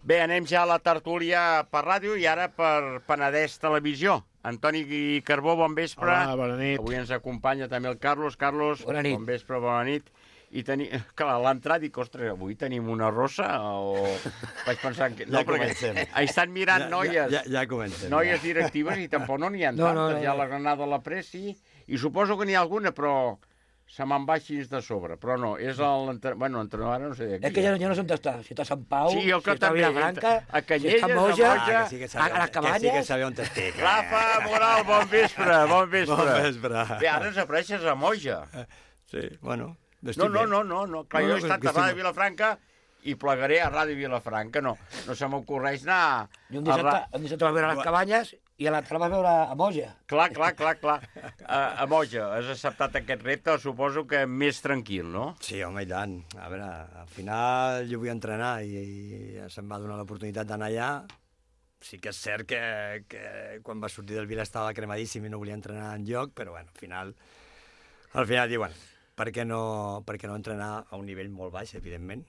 Bé, anem ja a la tertúlia per ràdio i ara per Penedès Televisió. Antoni Carbó, bon vespre. Hola, bona nit. Avui ens acompanya també el Carlos. Carlos, bona nit. Bon vespre, bona nit. I teni... clar, a l'entrada dic, ostres, avui tenim una rossa o... Vaig pensar que... No, ja comencem. Perquè estan mirant ja, noies. Ja, ja, ja comencem. Noies ja. directives i tampoc no n'hi ha no, tantes. No, no, Hi ha no. la Granada a la Pressi i suposo que n'hi ha alguna, però se me'n va així de sobre. Però no, és l'entrenador... Bueno, l'entrenador ara no sé de qui. És que ja, ja no sé on està. Si està a Sant Pau, sí, si està a Vilafranca, a Canyelles, si està a Moja, a, Moja, ah, que sí que sabeu, a les Cabanyes... Que sí que sabeu on estic. Rafa Moral, bon vespre, bon vespre. Bon vespre. Bé, ara ens apareixes a Moja. Sí, bueno... No, no, no, no, no. Clar, no, jo he estat a Ràdio Vilafranca i plegaré a Ràdio Vilafranca. No, no se m'ocorreix anar... I un dissabte, un dissabte va veure a les Cabanyes i a l'altre va veure a Moja. Clar, clar, clar, clar. A, a Moja, has acceptat aquest repte, suposo que més tranquil, no? Sí, home, i tant. A veure, al final jo vull entrenar i, i se'm va donar l'oportunitat d'anar allà. Sí que és cert que, que quan va sortir del Vila estava cremadíssim i no volia entrenar enlloc, però bueno, al final, al final diuen, per què no, per què no entrenar a un nivell molt baix, evidentment,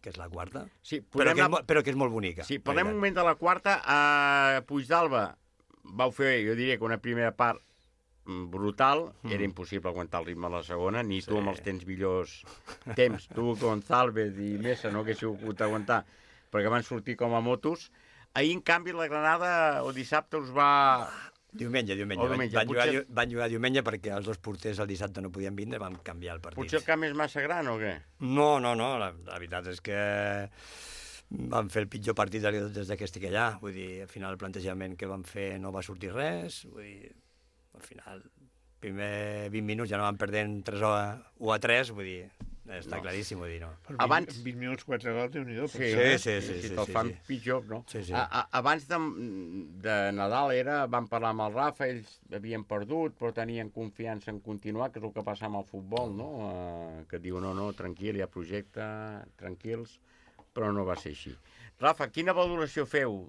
que és la quarta, sí, però, que és, anar... però que és molt bonica. Sí, parlem un moment de la quarta. A Puigdàlber vau fer, jo diria que una primera part brutal, mm. era impossible aguantar el ritme a la segona, ni sí. tu amb els temps millors temps, tu, González i Mesa no haguéssiu pogut aguantar, perquè van sortir com a motos. Ahir, en canvi, la Granada, o dissabte, us va... Diumenge, diumenge. O diumenge. Van, Potser... jugar, van jugar diumenge perquè els dos porters el dissabte no podien vindre, vam canviar el partit. Potser el camp és massa gran o què? No, no, no, la, la veritat és que vam fer el pitjor partit des que estic allà. Vull dir, al final el plantejament que vam fer no va sortir res. Vull dir, al final, primer vint minuts ja no vam perdent tres o a tres, vull dir, està no. claríssim, vull dir, no. Per Abans... vint minuts, quatre gols, Déu-n'hi-do. Sí, sí, sí. sí, si sí te'l sí, fan sí. pitjor, no? Sí, sí. A, a, abans de, de Nadal era, vam parlar amb el Rafa, ells havien perdut, però tenien confiança en continuar, que és el que passa amb el futbol, no? Uh, que diu, no, no, tranquil, hi ha projecte, tranquils, però no va ser així. Rafa, quina valoració feu,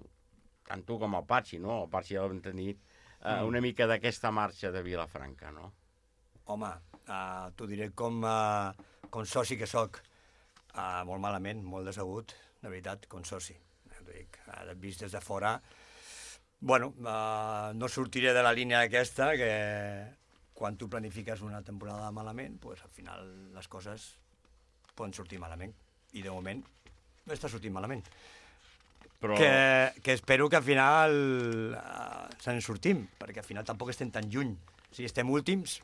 tant tu com el Patxi, no? El Patxi ja l'hem tenit, uh, una mica d'aquesta marxa de Vilafranca, no? Home, uh, t'ho diré com... Uh... com soci que sóc, uh, molt malament, molt decebut, de veritat, com soci. Dic, uh, vist des de fora, bueno, uh, no sortiré de la línia aquesta, que quan tu planifiques una temporada malament, pues, al final les coses poden sortir malament. I de moment no està sortint malament. Però... Que, que espero que al final uh, se'n sortim, perquè al final tampoc estem tan lluny. O sigui, estem últims,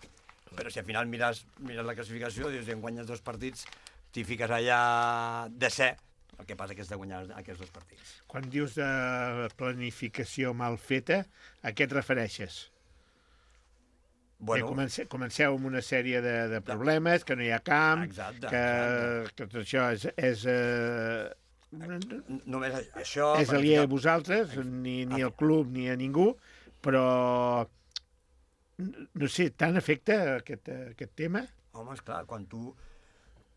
però si al final mires, mires la classificació, dius, en guanyes dos partits, t'hi fiques allà de ser, el que passa que és de guanyar aquests dos partits. Quan dius de planificació mal feta, a què et refereixes? Bueno, comenceu, comenceu amb una sèrie de, de problemes, que no hi ha camp, exacte, que, exacte. que tot això és... és eh, Només això... És aliè a vosaltres, ni, ni al club ni a ningú, però... No sé, tant afecta aquest, aquest tema? Home, esclar, quan tu...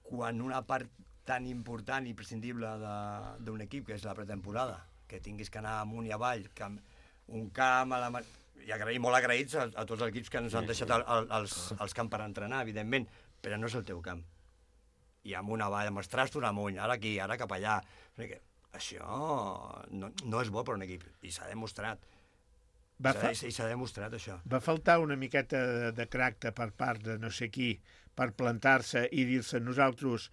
Quan una part tan important i prescindible d'un equip, que és la pretemporada, que tinguis que anar amunt i avall, que un camp... A la... I agraïm, molt agraïts a, a tots els equips que ens han deixat el, el, els, els camps per entrenar, evidentment, però no és el teu camp. I amunt avall, amb els trastos amunt, ara aquí, ara cap allà... Això no, no és bo per un equip, i s'ha demostrat. Va fa... I s'ha demostrat, això. Va faltar una miqueta de, de caràcter per part de no sé qui per plantar-se i dir-se nosaltres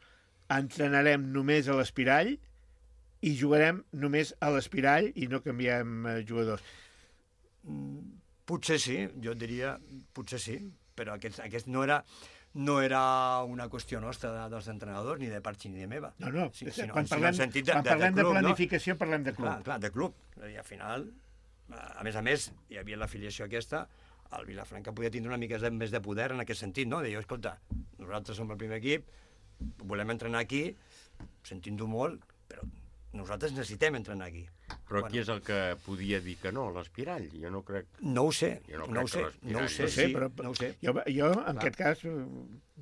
entrenarem només a l'Espirall i jugarem només a l'Espirall i no canviem eh, jugadors. Potser sí, jo et diria, potser sí, però aquest, aquest no era... no era una qüestió nostra de, dels entrenadors, ni de Patxi ni de meva. No, no, sí, sinó, quan parlem, de, quan de, parlem de, de, club, de planificació, no? Parlem de club. Clar, clar, de club. I al final, a més a més, hi havia l'afiliació aquesta, el Vilafranca podia tindre una mica més de poder en aquest sentit, no? De dir, escolta, nosaltres som el primer equip, volem entrenar aquí, sentint-ho molt, però nosaltres necessitem entrenar aquí. Però bueno. Qui és el que podia dir que no, l'Espirall? Jo no crec... No ho sé, no, no ho sé, no ho sé, no sé, sí, però, no ho sé. Jo, jo en aquest cas,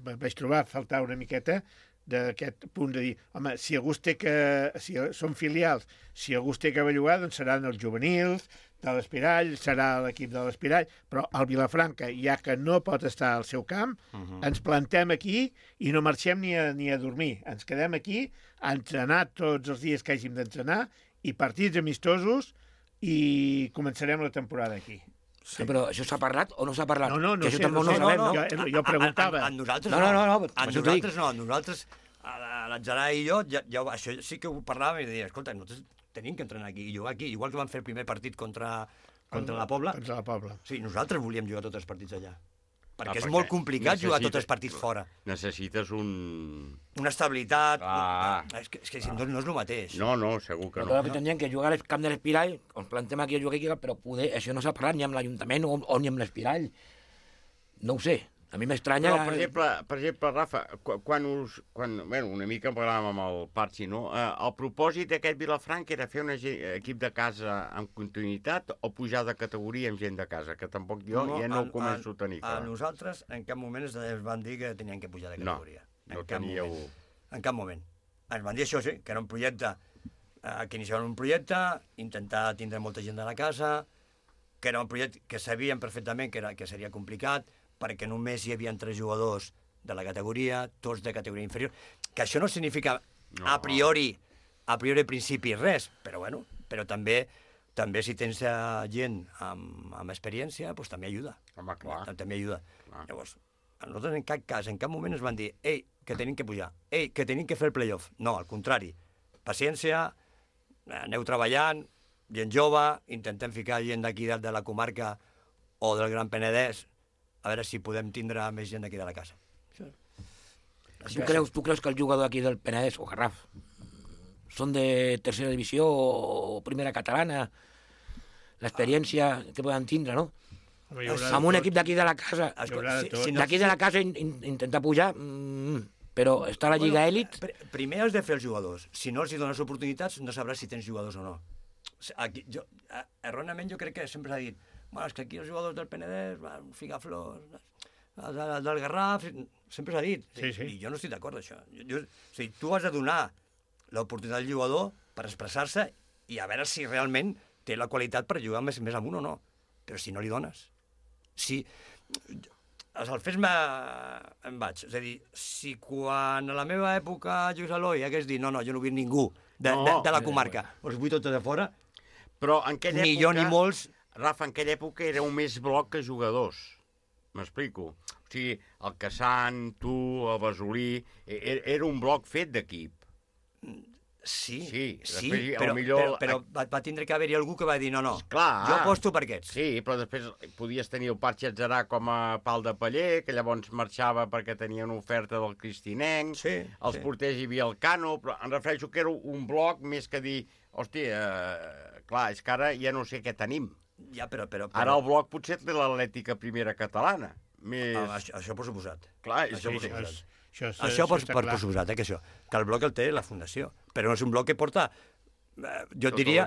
vaig trobar a faltar una miqueta d'aquest punt de dir, home, si algú té que... si són filials, si algú té que bellugar, doncs seran els juvenils de l'Espirall, serà l'equip de l'Espirall, però el Vilafranca, ja que no pot estar al seu camp, uh -huh. ens plantem aquí i no marxem ni a, ni a dormir. Ens quedem aquí a entrenar tots els dies que hàgim d'entrenar i partits amistosos i començarem la temporada aquí. Sí. Però això s'ha parlat o no s'ha parlat? No, no, no, que sé, això no, no, no, sabem, no, no? Jo, jo preguntava. A, a, a nosaltres no. No, no, no. no a nosaltres no, a nosaltres, a l'Atzarai i jo, ja, ja, això sí que ho parlàvem i deia, escolta, nosaltres tenim que entrenar aquí i jugar aquí, igual que vam fer el primer partit contra, contra la Pobla. Contra la Pobla. Sí, nosaltres volíem jugar tots els partits allà. Perquè ah, és perquè molt complicat necessita... jugar tots els partits fora. Necessites un... Una estabilitat... Ah, és que, és que ah. no és el mateix. No, no, segur que no. Però que tindrien que jugar al camp de l'Espirall, ens plantem aquí a jugar aquí, però poder, això no s'ha parlat ni amb l'Ajuntament o, o ni amb l'Espirall. No ho sé. A mi m'estranya... Però, per exemple, per exemple, Rafa, quan us... Quan, bueno, una mica en parlàvem amb el Parchi, no? Eh, el propòsit d'aquest Vilafranca era fer un equip de casa amb continuïtat o pujar de categoria amb gent de casa, que tampoc jo no, ja no a, ho començo a tenir clar. A nosaltres en cap moment ens van dir que tenien que pujar de categoria. No, no en cap teníeu... Moment. En cap moment. Ens van dir això, sí, que era un projecte, eh, que iniciaven un projecte, intentar tindre molta gent de la casa, que era un projecte que sabíem perfectament que, era, que seria complicat, perquè només hi havia tres jugadors de la categoria, tots de categoria inferior, que això no significa no. a priori, a priori principi res, però bueno, però també també si tens gent amb, amb experiència, doncs també ajuda. Home, clar. També ajuda. Clar. Llavors, a nosaltres en cap cas, en cap moment ens van dir ei, que tenim que pujar, ei, que tenim que fer el playoff. No, al contrari. Paciència, aneu treballant, gent jove, intentem ficar gent d'aquí de la comarca o del Gran Penedès, a veure si podem tindre més gent d'aquí de la casa. Tu creus, tu creus que el jugador aquí del Penedès o Garraf són de tercera divisió o primera catalana? L'experiència que poden tindre, no? Amb un equip d'aquí de la casa, d'aquí de la casa intentar pujar, però està a la Lliga Elit... Primer has de fer els jugadors. Si no els dones oportunitats, no sabràs si tens jugadors o no. Aquí, jo, erròniament jo crec que sempre s'ha dit bueno, és que aquí els jugadors del Penedès van ficar flors, del, del Garraf, sempre s'ha dit. Sí, sí. I jo no estic d'acord amb això. Jo, jo, o sigui, tu has de donar l'oportunitat al jugador per expressar-se i a veure si realment té la qualitat per jugar més, més amunt o no. Però si no li dones... Si... El fes me... em vaig. És a dir, si quan a la meva època Lluís Eloi hagués dit no, no, jo no vull ningú de, no, de, de la comarca, els vull tots de fora, però en aquella ni època... jo ni molts... Rafa, en aquella època era un més bloc que jugadors. M'explico. O sigui, el Cassan, tu, el Basolí... Era, era un bloc fet d'equip. Sí, sí, sí després, però, millor... però, però va, va tindre que haver-hi algú que va dir no, no, Clar, jo aposto per aquests. Sí, però després podies tenir el Parchi Atzarà com a pal de paller, que llavors marxava perquè tenia una oferta del Cristinenc, sí, els sí. porters hi havia el Cano, però em refereixo que era un bloc més que dir, hòstia, eh, clar, és que ara ja no sé què tenim. Ja, però, però, però... Ara el bloc potser té l'Atlètica primera catalana. Més... Ah, això, això per suposat. Clar, això sí, per suposat. Això, això, això, això per, per, per suposat, eh, que això. Que el bloc el té la Fundació. Però no és un bloc que porta... Eh, jo, tota diria,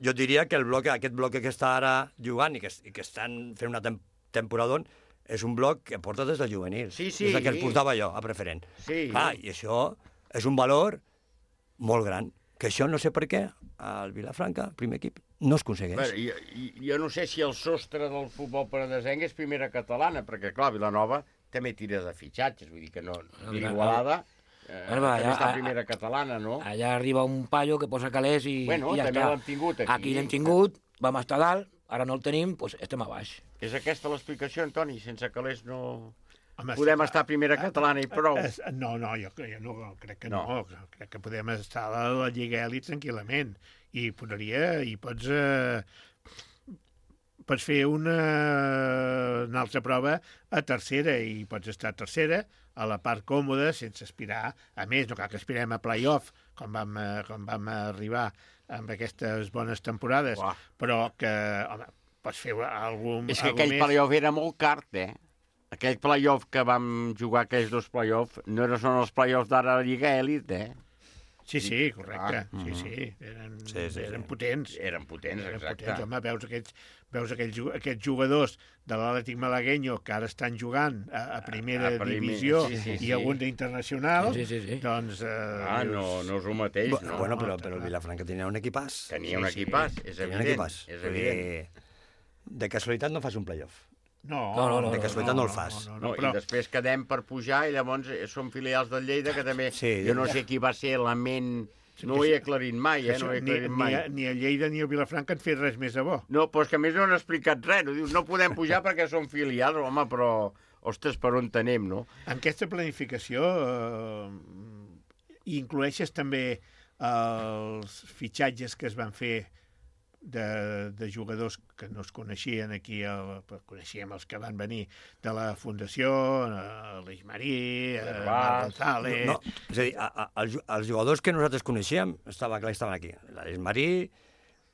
jo diria que el bloc, aquest bloc que està ara jugant i que, i que estan fent una tem temporada és un bloc que porta des del juvenil. Sí, sí. Des que el portava jo, a preferent. Sí. Clar, i això és un valor molt gran. Que això no sé per què, al Vilafranca, el primer equip, no es aconsegueix. Bé, jo, jo no sé si el sostre del futbol penedesenc és primera catalana, perquè, clar, Vilanova també tira de fitxatges, vull dir que no... Igualada, eh, Bueno, també allà, està primera catalana, no? Allà arriba un paio que posa calés i, bueno, i ja també està. l'hem tingut aquí. Aquí l'hem tingut, vam estar dalt, ara no el tenim, doncs estem a baix. És aquesta l'explicació, Antoni? Sense calés no... Home, podem sí, estar a primera catalana i prou. No, no, jo, jo no, crec que no. no. Crec que podem estar a la Lliga Elit tranquil·lament. I podria, i pots... Eh, pots fer una, una altra prova a tercera i pots estar a tercera a la part còmoda sense aspirar a més. No cal que aspirem a play-off com vam, com vam arribar amb aquestes bones temporades, Uah. però que, home, pots fer algun És que aquell play-off era molt cart, eh? Aquell play-off que vam jugar, aquells dos play-off, no són els play-offs d'ara a la Lliga Elit, eh? Sí, sí, correcte. Ah, sí, sí. Eren, sí, sí, eren sí. potents. Eren potents, eren exacte. Potents. Home, veus aquests, veus aquells, aquests jugadors de l'Atlètic Malagueño que ara estan jugant a, a primera a primer, divisió sí, sí, sí. i alguns d'internacional, sí, sí, sí. doncs... Eh, ah, no, no és el mateix, no? Bueno, però, però el Vilafranca tenia un equipàs. Tenia un equipàs, és evident. Un equipàs. És evident. De casualitat no fas un playoff. No, no, no, no, de casualitat no, no, no el fas. No, no, no, no, però... I després quedem per pujar i llavors som filials del Lleida, que també... Sí, jo no sé qui va ser la ment... No ho he aclarit mai, eh? No ho he aclarit ni, mai. Ni, ni a Lleida ni a Vilafranca han fet res més de bo. No, però és que a més no han explicat res. No, dius, no podem pujar perquè som filials, home, però... Ostres, per on tenem, no? En aquesta planificació eh, incloeixes també els fitxatges que es van fer de, de jugadors que no es coneixien aquí, el, coneixíem els que van venir de la Fundació, l'Eix Marí, Marc González... No, no, és a dir, a, a, els, els jugadors que nosaltres coneixíem estava clar, estaven aquí. L'Eix Marí,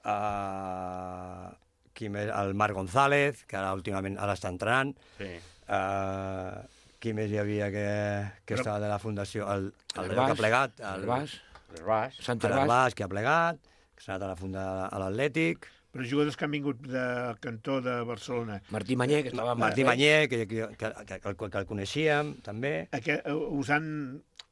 uh, qui més, el Marc González, que ara últimament ara està entrenant, sí. uh, qui més hi havia que, que Però... estava de la Fundació, el, el, el que ha plegat, el, el Bas, el Bas, el Bas, que ha plegat, que s'ha anat a la funda a l'Atlètic. Però jugadors que han vingut del cantó de Barcelona. Martí Mañé, que estava... Martí Mañé, que, que, que, que, que, que el coneixíem, també. Aquest, us han...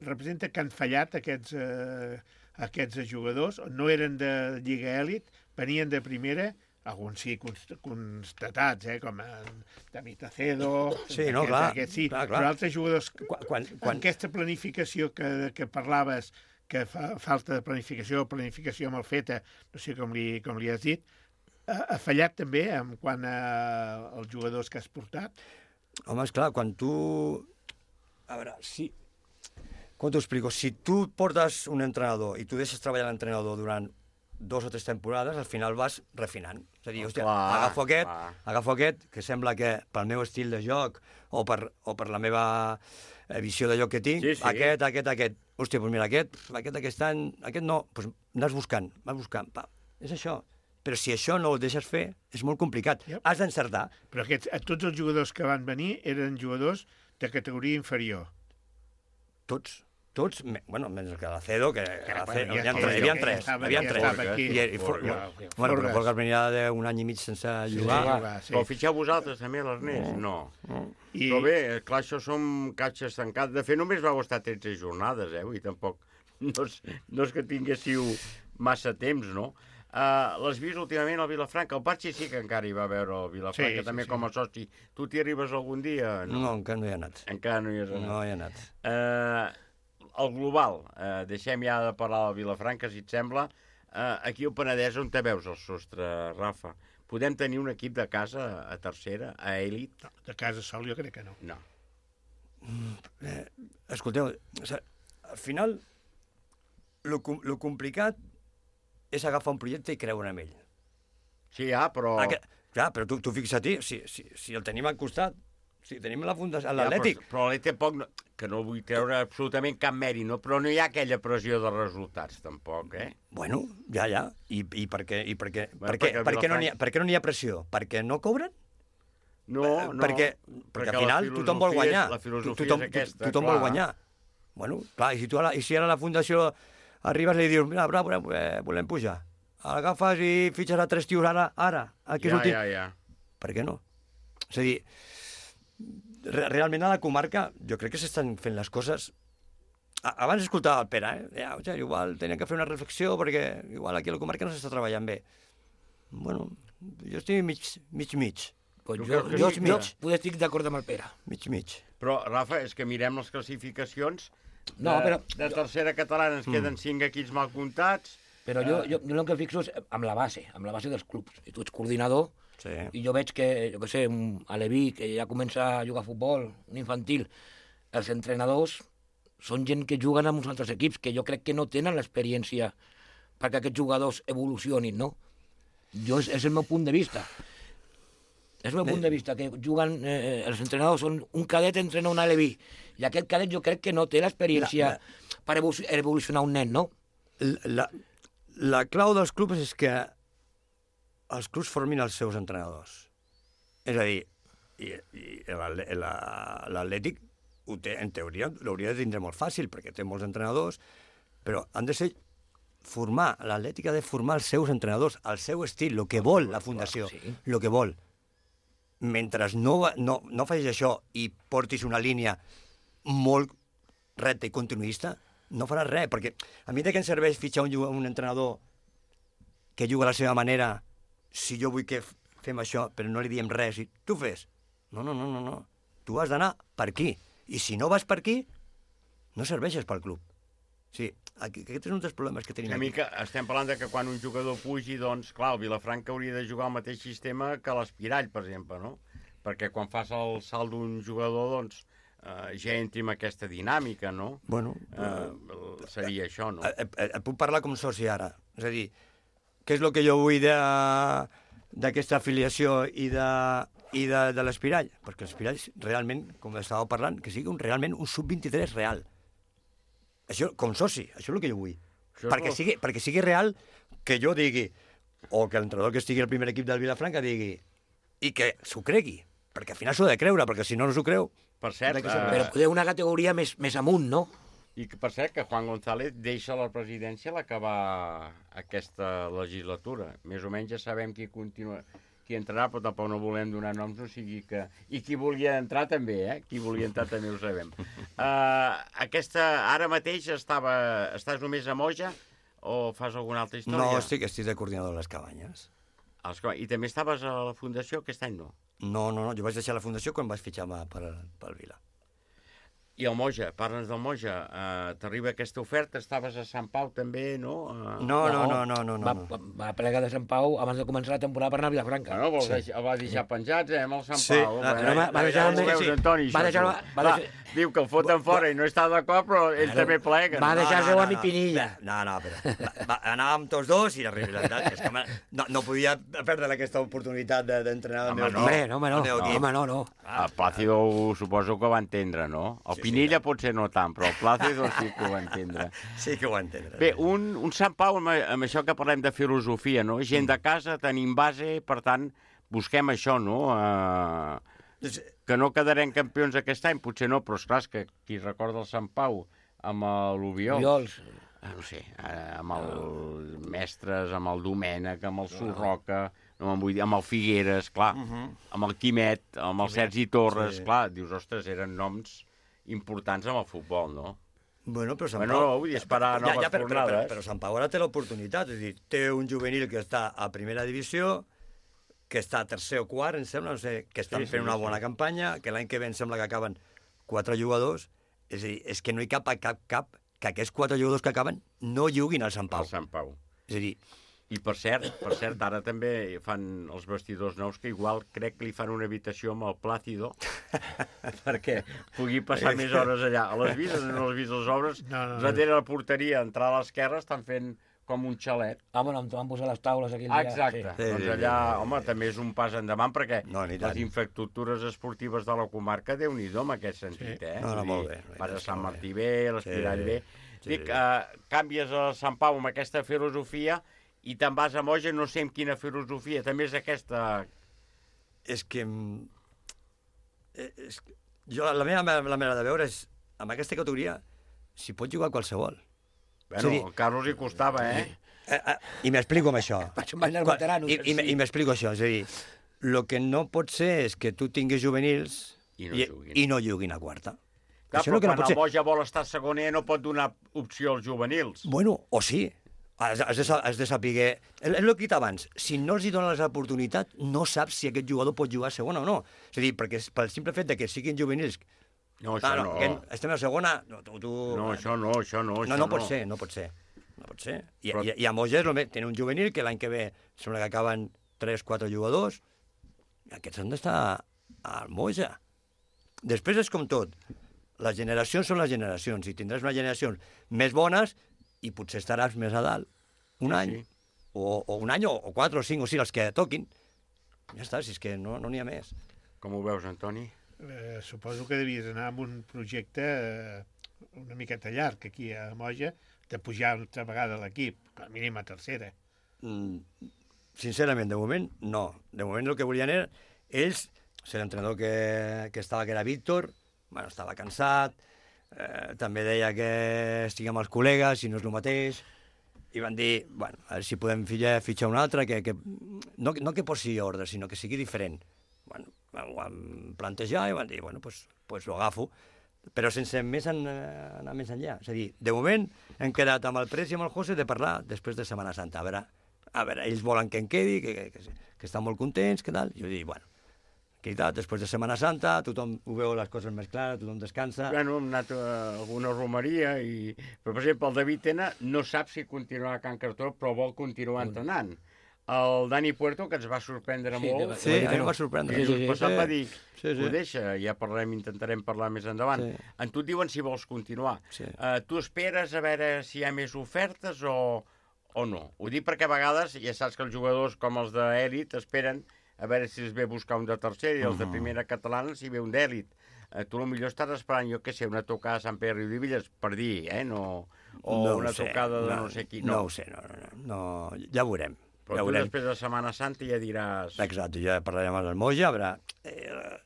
Representa que han fallat aquests, eh, aquests jugadors, no eren de Lliga Èlit, venien de primera, alguns sí constatats, eh, com David Acedo... Sí, no, aquest, clar, aquest, sí, clar, clar. Però altres jugadors... Quan, quan, quan... Aquesta planificació que, que parlaves, que fa falta de planificació, planificació mal feta, no sé com li, com li has dit, ha, ha fallat també en quant als jugadors que has portat? Home, esclar, quan tu... A veure, si... Com t'ho explico? Si tu portes un entrenador i tu deixes treballar l'entrenador durant dos o tres temporades, al final vas refinant. És a dir, hòstia, clar, agafo aquest, clar. agafo aquest, que sembla que pel meu estil de joc o per, o per la meva visió de joc que tinc, sí, sí. aquest, aquest, aquest. Hòstia, doncs mira, aquest, aquest aquest any, aquest no, doncs anàs buscant, vas buscant, pa. És això. Però si això no ho deixes fer, és molt complicat. Yep. Has d'encertar. Però aquests, tots els jugadors que van venir eren jugadors de categoria inferior. Tots. Tots, bueno, menys que l'Acedo, que n'hi havia tres, hi havia tres, hi havia tres. I bueno, però Forgas venia d'un any i mig sense jugar. Però fitxeu vosaltres també, l'Ernest? No. Però bé, clar, això som catxes tancades. De fet, només vau estar tretze jornades, eh? I tampoc, no és que tinguéssiu massa temps, no? L'has vist últimament al Vilafranca? El Parchi sí que encara hi va veure el Vilafranca, també com a soci. Tu t'hi arribes algun dia? No, encara no hi ha anat. Encara no hi has anat. No hi ha anat. Eh... El global, eh, deixem ja de parlar del Vilafranca, si et sembla. Eh, aquí al Penedès, on te veus el sostre, Rafa? Podem tenir un equip de casa a tercera, a èlit? No, de casa sol jo crec que no. No. Mm, eh, escolteu, o sigui, al final, lo, lo complicat és agafar un projecte i creure en ell. Sí, ja, però... Aquest, clar, però tu, tu fixa't, si, si, si el tenim al costat, si tenim la fundació, l'Atlètic... Ja, però però l'Atlètic poc... No, que no vull treure absolutament cap mèrit, no? Però no hi ha aquella pressió de resultats, tampoc, eh? Bueno, ja, ja. I, i per què, i per què, bueno, per què, per què, no ha, per què no n'hi ha pressió? Perquè no cobren? No, no. Perquè, perquè al final tothom vol guanyar. La filosofia tothom, és aquesta, tothom clar. vol guanyar. Bueno, clar, i si, tu ara, i si ara a la Fundació arribes i li dius, mira, bra, volem, volem pujar. Agafes i fitxes a tres tios ara, ara, aquí ja, ja, ja. Per què no? És a dir, realment a la comarca jo crec que s'estan fent les coses... Abans escoltava el Pere, eh? Ja, o sigui, igual tenia que fer una reflexió perquè igual aquí a la comarca no s'està treballant bé. Bueno, jo estic mig, mig, mig. Pues jo, jo, jo, jo poder estic d'acord amb el Pere. Mig, mig. Però, Rafa, és que mirem les classificacions de, no, però, de tercera catalana, ens mm. queden cinc equips mal comptats. Però jo, jo, jo el que fixo és amb la base, amb la base dels clubs. I tu ets coordinador, sí. I jo veig que, jo què sé, a l'Eví, que ja comença a jugar a futbol, un infantil, els entrenadors són gent que juguen amb uns altres equips, que jo crec que no tenen l'experiència perquè aquests jugadors evolucionin, no? Jo, és, és el meu punt de vista. És el meu punt de vista, que juguen, eh, els entrenadors són un cadet entrena un Aleví, i aquest cadet jo crec que no té l'experiència per evolucionar un nen, no? La, la clau dels clubs és que els clubs formin els seus entrenadors. És a dir, i, i l'Atlètic, en teoria, l'hauria de tindre molt fàcil, perquè té molts entrenadors, però han de ser formar, l'Atlètic ha de formar els seus entrenadors, el seu estil, el que vol la fundació, el que vol. Mentre no, no, no facis això i portis una línia molt recta i continuista, no faràs res, perquè a mi de què em serveix fitxar un, un entrenador que juga a la seva manera si jo vull que fem això, però no li diem res, i tu fes. No, no, no, no, no. Tu has d'anar per aquí, i si no vas per aquí, no serveixes pel club. Sí, aquest és un dels problemes que tenim una aquí. mica estem parlant de que quan un jugador pugi, doncs, clar, el Vilafranca hauria de jugar al mateix sistema que l'Espirall, per exemple, no? Perquè quan fas el salt d'un jugador, doncs, eh, ja entri en aquesta dinàmica, no? Bueno, eh, seria això, no? Et, et, et puc parlar com soci ara. És a dir, què és el que jo vull d'aquesta afiliació i de, i de, de l'Espirall? Perquè l'Espirall realment, com estàveu parlant, que sigui un, realment un sub vint-i-tres real. Això, com soci, això és el que jo vull. Perquè sigui, perquè sigui real que jo digui, o que l'entrenador que estigui al primer equip del Vilafranca digui, i que s'ho cregui, perquè al final s'ho ha de creure, perquè si no no s'ho creu... Per cert... Uh... Però poder una categoria més, més amunt, no? I que, per cert, que Juan González deixa la presidència a l'acabar aquesta legislatura. Més o menys ja sabem qui continua... qui entrarà, però tampoc no volem donar noms, no sigui que... I qui volia entrar també, eh? Qui volia entrar també ho sabem. Uh, aquesta, ara mateix estava... estàs només a Moja o fas alguna altra història? No, estic, estic de coordinador de les cabanyes. I també estaves a la Fundació aquest any, no? No, no, no, jo vaig deixar la Fundació quan vaig fitxar per, pel Vila. I el Moja, parla'ns del Moja. Uh, T'arriba aquesta oferta, estaves a Sant Pau també, no? Uh... No, no, no, no, no, no. Va, va, va plegar de Sant Pau abans de començar la temporada per anar a Vilafranca. No, vol sí. deixar, el va deixar penjats, eh, amb el Sant sí. Pau. No, no, va, va deixar... Ja veus, Antoni, va deixar... Va deixar... Diu que el foten fora i no està d'acord, però ell també plega. Va deixar seu no, no, amic Pinilla. No, no, però va, va, anàvem tots dos i la realitat és que no, no podia perdre aquesta oportunitat d'entrenar el meu equip. Home, no, home, no, home, no, no. El Plácido suposo que ho va entendre, no? El sí, Pinilla sí, potser no tant, però el Plácido sí que ho va entendre. Sí que ho va entendre. Bé, un, un Sant Pau, amb, amb això que parlem de filosofia, no? Gent de casa, tenim base, per tant, busquem això, no? Uh, que no quedarem campions aquest any, potser no, però esclar, que qui recorda el Sant Pau amb l'Ubiols, Ubiols. no sé, amb el Mestres, amb el Domènec, amb el Surroca, no vull dir, amb el Figueres, clar, uh -huh. amb el Quimet, amb el Sergi Torres, sí. Clar, dius, ostres, eren noms importants amb el futbol, no? Bueno, però Sant bueno, Pau... No, vull dir, esperar ja, noves ja, però, jornades. Però, però, però Sant Pau ara té l'oportunitat, és a dir, té un juvenil que està a primera divisió, que està a tercer o quart, em sembla, no sé, que estan sí, fent sí, una bona sí. campanya, que l'any que ve em sembla que acaben quatre jugadors, és a dir, és que no hi cap a cap, cap, que aquests quatre jugadors que acaben no juguin al Sant Pau. Al Sant Pau. És a dir... I per cert, per cert, ara també fan els vestidors nous, que igual crec que li fan una habitació amb el Plácido, perquè pugui passar més hores allà. A les vistes, no les vistes, les obres, no, no, no. Darrere la porteria, entrar a l'esquerra, estan fent com un xalet. Ah, bueno, van posar les taules aquí. Ah, exacte. Sí. Doncs allà, home, també és un pas endavant, perquè no, les infraestructures esportives de la comarca, Déu-n'hi-do, en aquest sentit, sí. eh? No, no, molt bé. Vas a Sant Martí bé, l'Espirall sí. bé. Sí. Dic, uh, canvies a Sant Pau amb aquesta filosofia i te'n vas a Moja, no sé amb quina filosofia, també és aquesta... És que... És... Jo, la meva la manera de veure és, amb aquesta categoria, s'hi pot jugar qualsevol. Bueno, dir, el Carlos hi costava, eh? eh, eh I m'explico amb això. Veterano, I, i, I m'explico això, és a dir, el que no pot ser és que tu tinguis juvenils i no, i, juguin. i no juguin a quarta. Clar, però quan no el Moja vol estar segoner no pot donar opció als juvenils. Bueno, o sí. Has de, has de saber... És el que he dit abans. Si no els hi donen l'oportunitat, no saps si aquest jugador pot jugar a segona o no. És a dir, perquè pel simple fet de que siguin juvenils... No, això ah, no. no. Estem a segona... No, tu, tu... no, això no, això no. No, això no pot no. ser, no pot ser. No pot ser. I, Però... i, i a Moja tenen un juvenil que l'any que ve sembla que acaben tres quatre jugadors. Aquests han d'estar al Moja. Després és com tot. Les generacions són les generacions. I tindràs unes generacions més bones i potser estaràs més a dalt un any, sí. o, o un any, o, o quatre, o cinc, o sis, els que toquin. Ja està, si és que no n'hi no ha més. Com ho veus, Antoni? Eh, suposo que devies anar amb un projecte eh, una miqueta llarg aquí a Moja, de pujar una altra vegada a l'equip, com a mínim a tercera. Mm, sincerament, de moment, no. De moment el que volien era... Ells, l'entrenador que, que estava, que era Víctor, bueno, estava cansat, eh, també deia que estiguem els col·legues, si no és el mateix, i van dir, bueno, a veure si podem fitxar, fitxar un altre, que, que, no, no que posi ordre, sinó que sigui diferent. Bueno, ho vam plantejar i van dir, bueno, doncs pues, pues ho agafo, però sense més en, anar més enllà. És a dir, de moment hem quedat amb el Pres i amb el José de parlar després de Setmana Santa. A veure, a veure ells volen que em quedi, que, que, que, que estan molt contents, que tal. Jo dic, bueno, que tal, després de Setmana Santa, tothom ho veu les coses més clares, tothom descansa. Bueno, hem anat a alguna romeria i... Però, per exemple, el David Tena no sap si continuarà a Can Cartró, però vol continuar entrenant. El Dani Puerto, que ens va sorprendre Sí, molt... Sí, a mi em va sorprendre. Sí, sí, sí. Passat va dir, Sí, sí. ho deixa, ja parlem, intentarem parlar més endavant. Sí. En tu et diuen si vols continuar. Sí. Uh, tu esperes a veure si hi ha més ofertes o, o no? Ho dic perquè a vegades ja saps que els jugadors com els d'èlit esperen a veure si es ve buscar un de tercera i els de primera catalana si ve un d'èlit. Uh, tu potser estàs esperant, jo què sé, una tocada a Sant Pere i Riudevilles, per dir, eh? No, o No ho una sé, tocada de no, no sé qui. No ho sé, no, no, no, no, ja ho veurem. Però ja tu veurem. després de Setmana Santa ja diràs... Exacte, ja parlarem amb el Moja, a veure... Eh,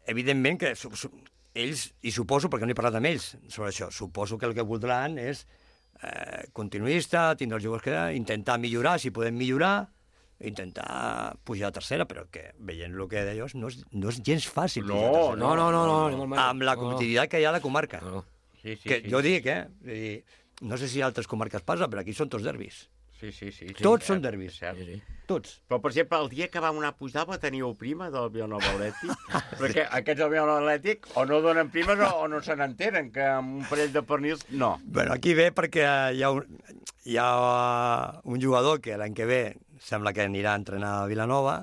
evidentment que su, su, ells, i suposo, perquè no he parlat amb ells sobre això, suposo que el que voldran és eh, continuista, tindre els jugadors que intentar millorar, si podem millorar, intentar pujar a tercera, però que veient el que deia, no és, no és gens fàcil No, pujar a tercera. No, no, no, no, ni molt menys. Amb la No, no. competitivitat que hi ha a la comarca. No, no. Sí, sí, que sí. jo dic, eh? Vull dir, no sé si a altres comarques passa, però aquí són tots derbis. Sí, sí, sí. Tots sí, són cert, derbis. cert. Sí, sí. Tots. Però, per exemple, el dia que vam anar a Puigdàlber teníeu prima del Vilanova Atlètic, perquè aquests del Vilanova Atlètic o no donen primes o, o no se n'enteren, que amb un parell de pernils, no. Bueno, aquí ve perquè hi ha un, hi ha un jugador que l'any que ve sembla que anirà a entrenar a Vilanova.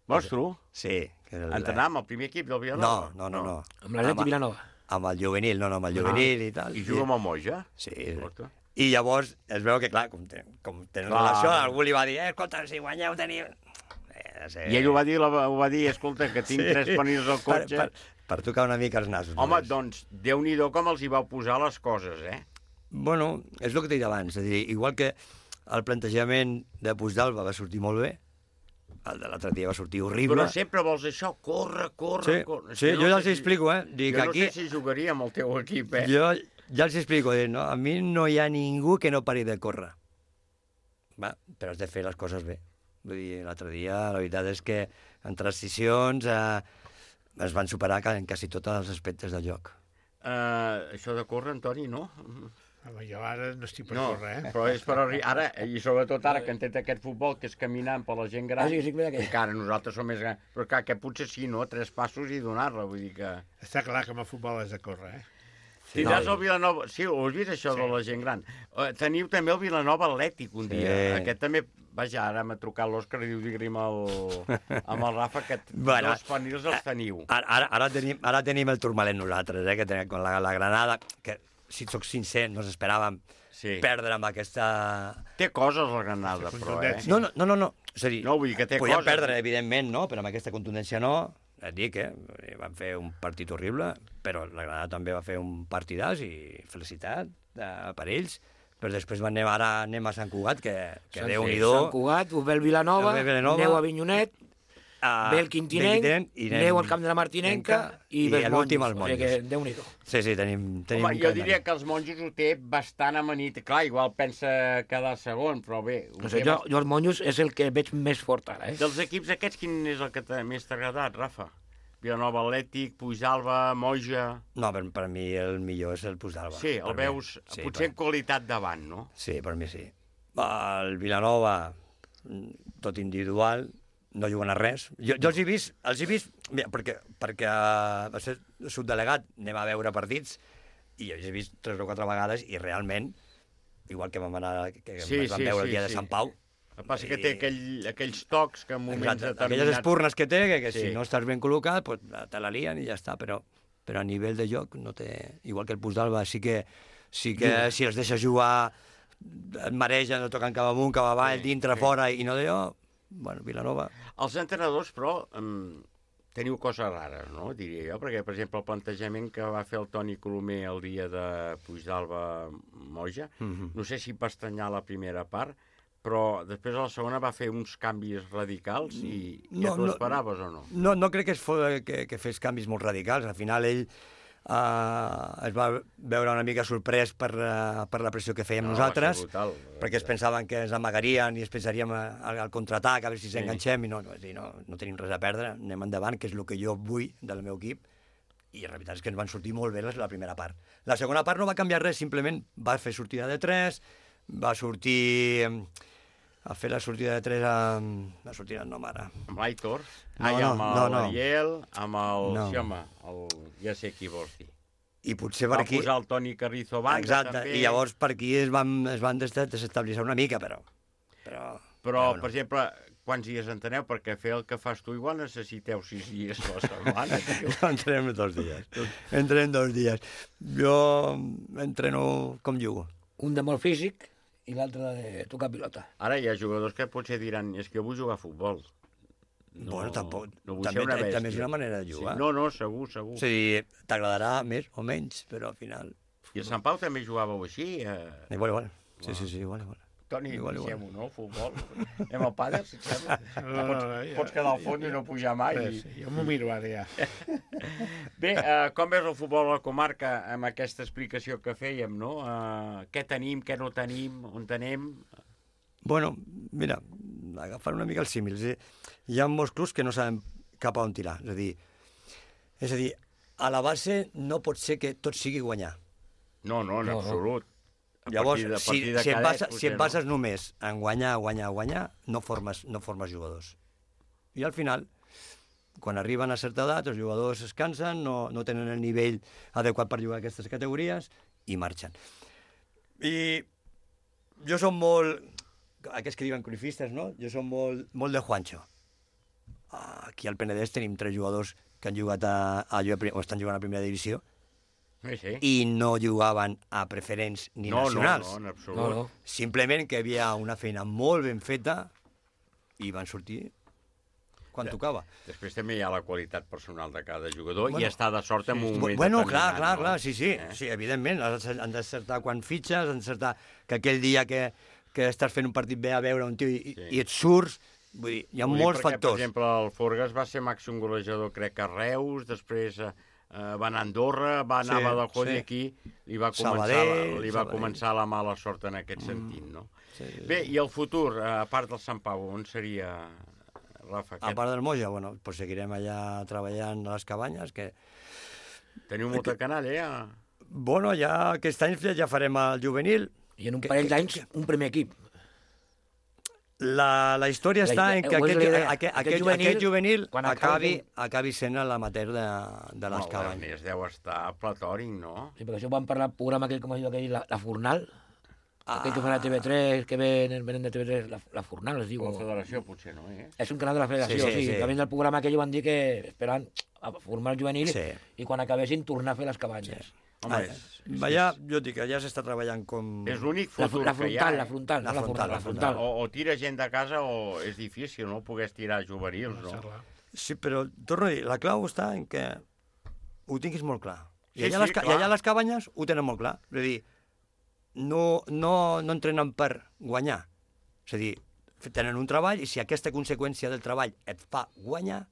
Vols tu? Sí. Que el, Entrenar amb el primer equip del Vilanova? No, no, no. no. Amb l'Atlètic Vilanova. Amb el juvenil, no, no, amb el juvenil i tal. I juga amb el Moja? Sí. I llavors es veu que, clar, com, ten, com tenen Clar. relació, algú li va dir, eh, escolta, si guanyeu teniu... Eh, sí. I ell ho va dir, ho va dir, escolta, que tinc Sí. tres pernils al cotxe. Per, per, per tocar una mica els nassos. Home, només. doncs, Déu-n'hi-do com els hi vau posar les coses, eh? Bueno, és el que t'he dit abans, és a dir, igual que el plantejament de Puigdàlber va sortir molt bé, el de l'altre dia va sortir horrible. Però sempre vols això, corre, corre, Sí, corre. sí, És que jo ja sé els explico, eh? Dic, jo no aquí- sé si jugaria amb el teu equip, eh? Jo ja els explico, dic, no? A mi no hi ha ningú que no pari de córrer. Va, però has de fer les coses bé. Vull dir, l'altre dia, la veritat és que en transicions eh, es van superar ca- en quasi tots els aspectes del joc. Uh, això de córrer, Antoni, no? Home, jo ara no estic per No, córrer, eh? però és per arri- ara, i sobretot ara que han tret aquest futbol que és caminant per la gent gran, Ah, sí, sí, mira que- encara nosaltres som més grans, però clar, que potser sí, no? Tres passos i donar-la, vull dir que... Està clar que amb el futbol has de córrer, eh? Tindràs el Vilanova... Sí, ho has vist, això de la gent gran. Uh, teniu també el Vilanova Atlètic un dia. Sí. Aquest també... Vaja, ara m'ha trucat l'Òscar i diu, digue-li amb, el... amb el Rafa que Bueno, dos pernils els teniu. Ara, ara, ara, tenim, ara tenim el turmalet nosaltres, eh, que tenim con la, la Granada, que, si sóc sincer, no esperàvem sí. perdre amb aquesta... Té coses la Granada, però, eh? No, no, no, no, no. És a dir, no, vull dir que té podíem coses. perdre, evidentment, no? Però amb aquesta contundència no. Et dic, eh? Van fer un partit horrible, però la Granada també va fer un partidàs i felicitat eh, per ells. Però després van anar, ara anem a Sant Cugat, que, que Sant- Déu-n'hi-do. Sant Cugat, us ve el Vilanova, Ve el Vilanova, aneu a Vinyonet, a ve el Quintinenc, Quintinenc i anem- aneu al camp de la Martinenca i, i ve els l'últim monjos. als O sigui monjos. que Déu-n'hi-do. Sí, sí, tenim, tenim Home, un jo calendari. diria que els monjos ho té bastant amanit. Clar, igual pensa quedar segon, però bé... ho No sé, té jo, bast- jo els monjos és el que veig més fort ara, eh? Dels equips aquests, quin és el que t'ha- més t'ha agradat, Rafa? Vilanova Atlètic, Puigdàlber, Moja... No, per, per mi el millor és el Puigdàlber. Sí, el Per mi. veus Sí, potser en per- qualitat davant, no? Sí, per mi sí. El Vilanova, tot individual, no juguen a res. Jo, jo els he vist, els he vist mira, perquè, perquè uh, va ser subdelegat, anem a veure partits, i jo els he vist tres o quatre vegades, i realment, igual que vam anar, que Sí, ens vam sí, veure sí, el dia sí. de Sant Pau, El que passa que té aquell, aquells tocs que en moments exacte, determinats... aquelles espurnes que té, que, que Sí. si no estàs ben col·locat, pues, te la lien i ja està, però, però a nivell de joc no té... Igual que el Puigdàlber, sí que, sí que Juga. si els deixes jugar et maregen, no toquen cap amunt, cap avall, Sí, dintre, sí. fora, i no d'allò, bueno, Vilanova... Els entrenadors, però, um, teniu coses rares, no?, diria jo, perquè, per exemple, el plantejament que va fer el Toni Colomer el dia de Puigdàlber-Moja, Mhm. no sé si va estranyar la primera part, però després a la segona va fer uns canvis radicals i ja No, t'ho no, esperaves o no? No, no crec que, es fos, que, que fes canvis molt radicals. Al final ell Uh, es va veure una mica sorprès per, uh, per la pressió que fèiem no, nosaltres, brutal, perquè es pensaven que ens amagarien i es pensaríem al, al contraatac, a veure si sí. s'enganxem, i no, no, no, no tenim res a perdre, anem endavant, que és el que jo vull del meu equip, i la veritat és que ens van sortir molt bé la primera part. La segona part no va canviar res, simplement va fer sortida de tres, va sortir a fer la sortida de tres a... la sortida no, mare. Amb l'Aitor? No, Ai, no, amb no, no. l'Ariel, amb el... No. Sí, home, el... ja sé qui vols dir. I potser per va aquí... Va posar el Toni Carrizo a banda, exacte, també. I llavors per aquí es van, es van desestabilitzar una mica, però... Però, però, però per no. exemple, quants dies enteneu? Perquè fer el que fas tu igual necessiteu sis dies a la setmana, tio. Entrenem dos dies. Entrenem dos dies. Jo entreno com jugo. Un de molt físic i l'altre de tocar pilota. Ara hi ha jugadors que potser diran és que jo vull jugar a futbol. No, bueno, tampoc. No vull també, ser una bèstia. També és una manera de jugar. Sí, no, no, segur, segur. O sigui, t'agradarà més o menys, però al final... I a Sant Pau també jugàveu així? Eh... Igual, igual. Sí, sí, sí, igual, igual. Toni, igual, deixem-ho, no? Futbol. Anem al pàdel, si et sembla. No, pots, no, ja, pots quedar al fons ja, i no pujar mai. Bé, sí, jo m'ho miro ara, ja. Bé, uh, com veus el futbol a la comarca amb aquesta explicació que fèiem, no? Uh, què tenim, què no tenim, on tenem... Bueno, mira, agafant una mica els símils, eh? Hi ha molts clubs que no saben cap a on tirar. És a dir, és a dir, a la base no pot ser que tot sigui guanyar. No, no, en no, absolut. A Llavors, de, si, si, em basa, si em bases no? només en guanyar, guanyar, guanyar, no formes, no formes jugadors. I al final, quan arriben a certa edat, els jugadors es cansen, no, no tenen el nivell adequat per jugar a aquestes categories i marxen. I jo som molt... Aquests que diuen cruifistes, no? Jo som molt, molt de Juancho. Aquí al Penedès tenim tres jugadors que han jugat a, a, o estan jugant a primera divisió sí, sí. i no jugaven a preferents ni no, nacionals. No, no, en absolut. No, no. Simplement que hi havia una feina molt ben feta i van sortir quan ja. tocava. Després també hi ha la qualitat personal de cada jugador bueno, i està de sort en sí. un moment bueno, determinat. Clar, clar, no? clar, sí, sí, eh? sí, evidentment. Han d'encertar quan fitxes, han d'encertar que aquell dia que que estàs fent un partit bé a veure un tio i, sí. i et surts, vull dir, hi ha vull molts perquè, factors. Per exemple, el Forgas va ser màxim golejador, crec, a Reus, després eh, va anar a Andorra, va anar sí, a Badajoz sí. i aquí li va, començar, Sabadell, la, li va Sabadell. començar la mala sort en aquest sentit, no? Sí. Bé, i el futur, a part del Sant Pau, on seria, Rafa? A part del Moja, bueno, pues seguirem allà treballant a les cabanyes, que... Teniu molta canalla, ja? Bueno, ja aquest any ja farem el juvenil. I en un parell d'anys, un primer equip. La, la història la, està en que aquest, aquest, aquest, aquest juvenil, aquest juvenil acabi, acabi sent l'amateur de, de les cabanyes. Es deu estar platòric, no? Sí, perquè això vam parlar del programa aquell, com es diu aquell, la, la Fornal, ah. aquell que fan a T V tres, que venen, venen de T V tres, la, la Fornal, es diu. La Federació, potser, no? Eh? És un canal de la Federació, sí. sí, sí. sí. També del programa aquell van dir que esperaven a formar el juvenil sí. i quan acabessin tornar a fer les cabanyes. Sí. Home, ah, és, és, allà, jo dic, allà s'està treballant com... És l'únic futur la, la frontal, que hi ha. La frontal, la frontal, la frontal. O, o tira gent de casa o és difícil, no? Pogués tirar juvenils, no? Sí, però torno a dir, la clau està en que ho tinguis molt clar. I sí, allà, sí, les, I allà les cabanyes ho tenen molt clar. És a dir, no, no, no entrenen per guanyar. És a dir, tenen un treball i si aquesta conseqüència del treball et fa guanyar,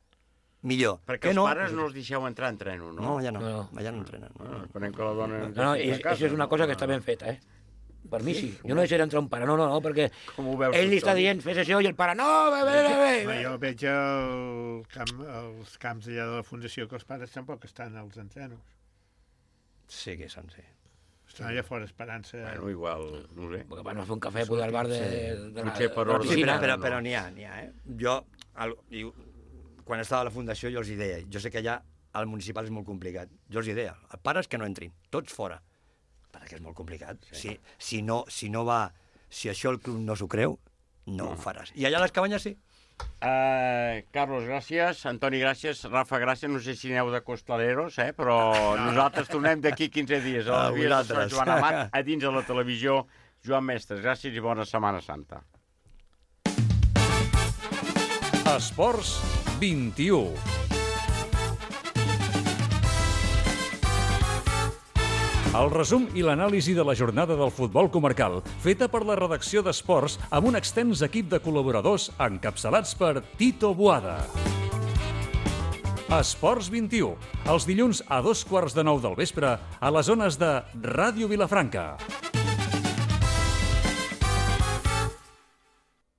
millor. Perquè els no? pares no els deixeu entrar en treno, no? No, ja no, no. allà no entrenen. No. Ah, esperem que la dona... No, no, i, això és una cosa que està ben feta, eh? Per mi sí. Jo no deixaré entrar un pare, no, no, no, perquè ell li està dient, fes això, i el pare, no, bé, bé, bé, bé. Jo veig el camp, els camps allà de la Fundació que els pares tampoc estan als entrenos. Sí que són, sí. Estan allà fora esperant-se... Bueno, igual, no sé. Perquè van a fer un cafè poder al bar de, sí. de, de, Potser per de la piscina. Sí, però, però n'hi ha, n'hi ha, eh? Jo, el, quan estava a la Fundació, jo els hi deia, jo sé que allà al municipal és molt complicat, jo els hi deia, els pares que no entrin, tots fora, perquè és molt complicat. Sí. Si, si, no, si no va, si això el club no s'ho creu, no, no ho faràs. I allà a les cabanyes sí. Uh, Carlos, gràcies. Antoni, gràcies. Rafa, gràcies. No sé si aneu de costaleros, eh? Però nosaltres tornem d'aquí quinze dies a les vies de Sant Joan Amat, a dins de la televisió. Joan Mestres, gràcies i bona Setmana Santa. Esports vint-i-u. El resum i l'anàlisi de la jornada del futbol comarcal, feta per la redacció d'Esports amb un extens equip de col·laboradors encapçalats per Tito Boada. Esports vint-i-u, els dilluns a dos quarts de nou del vespre a les zones de Ràdio Vilafranca.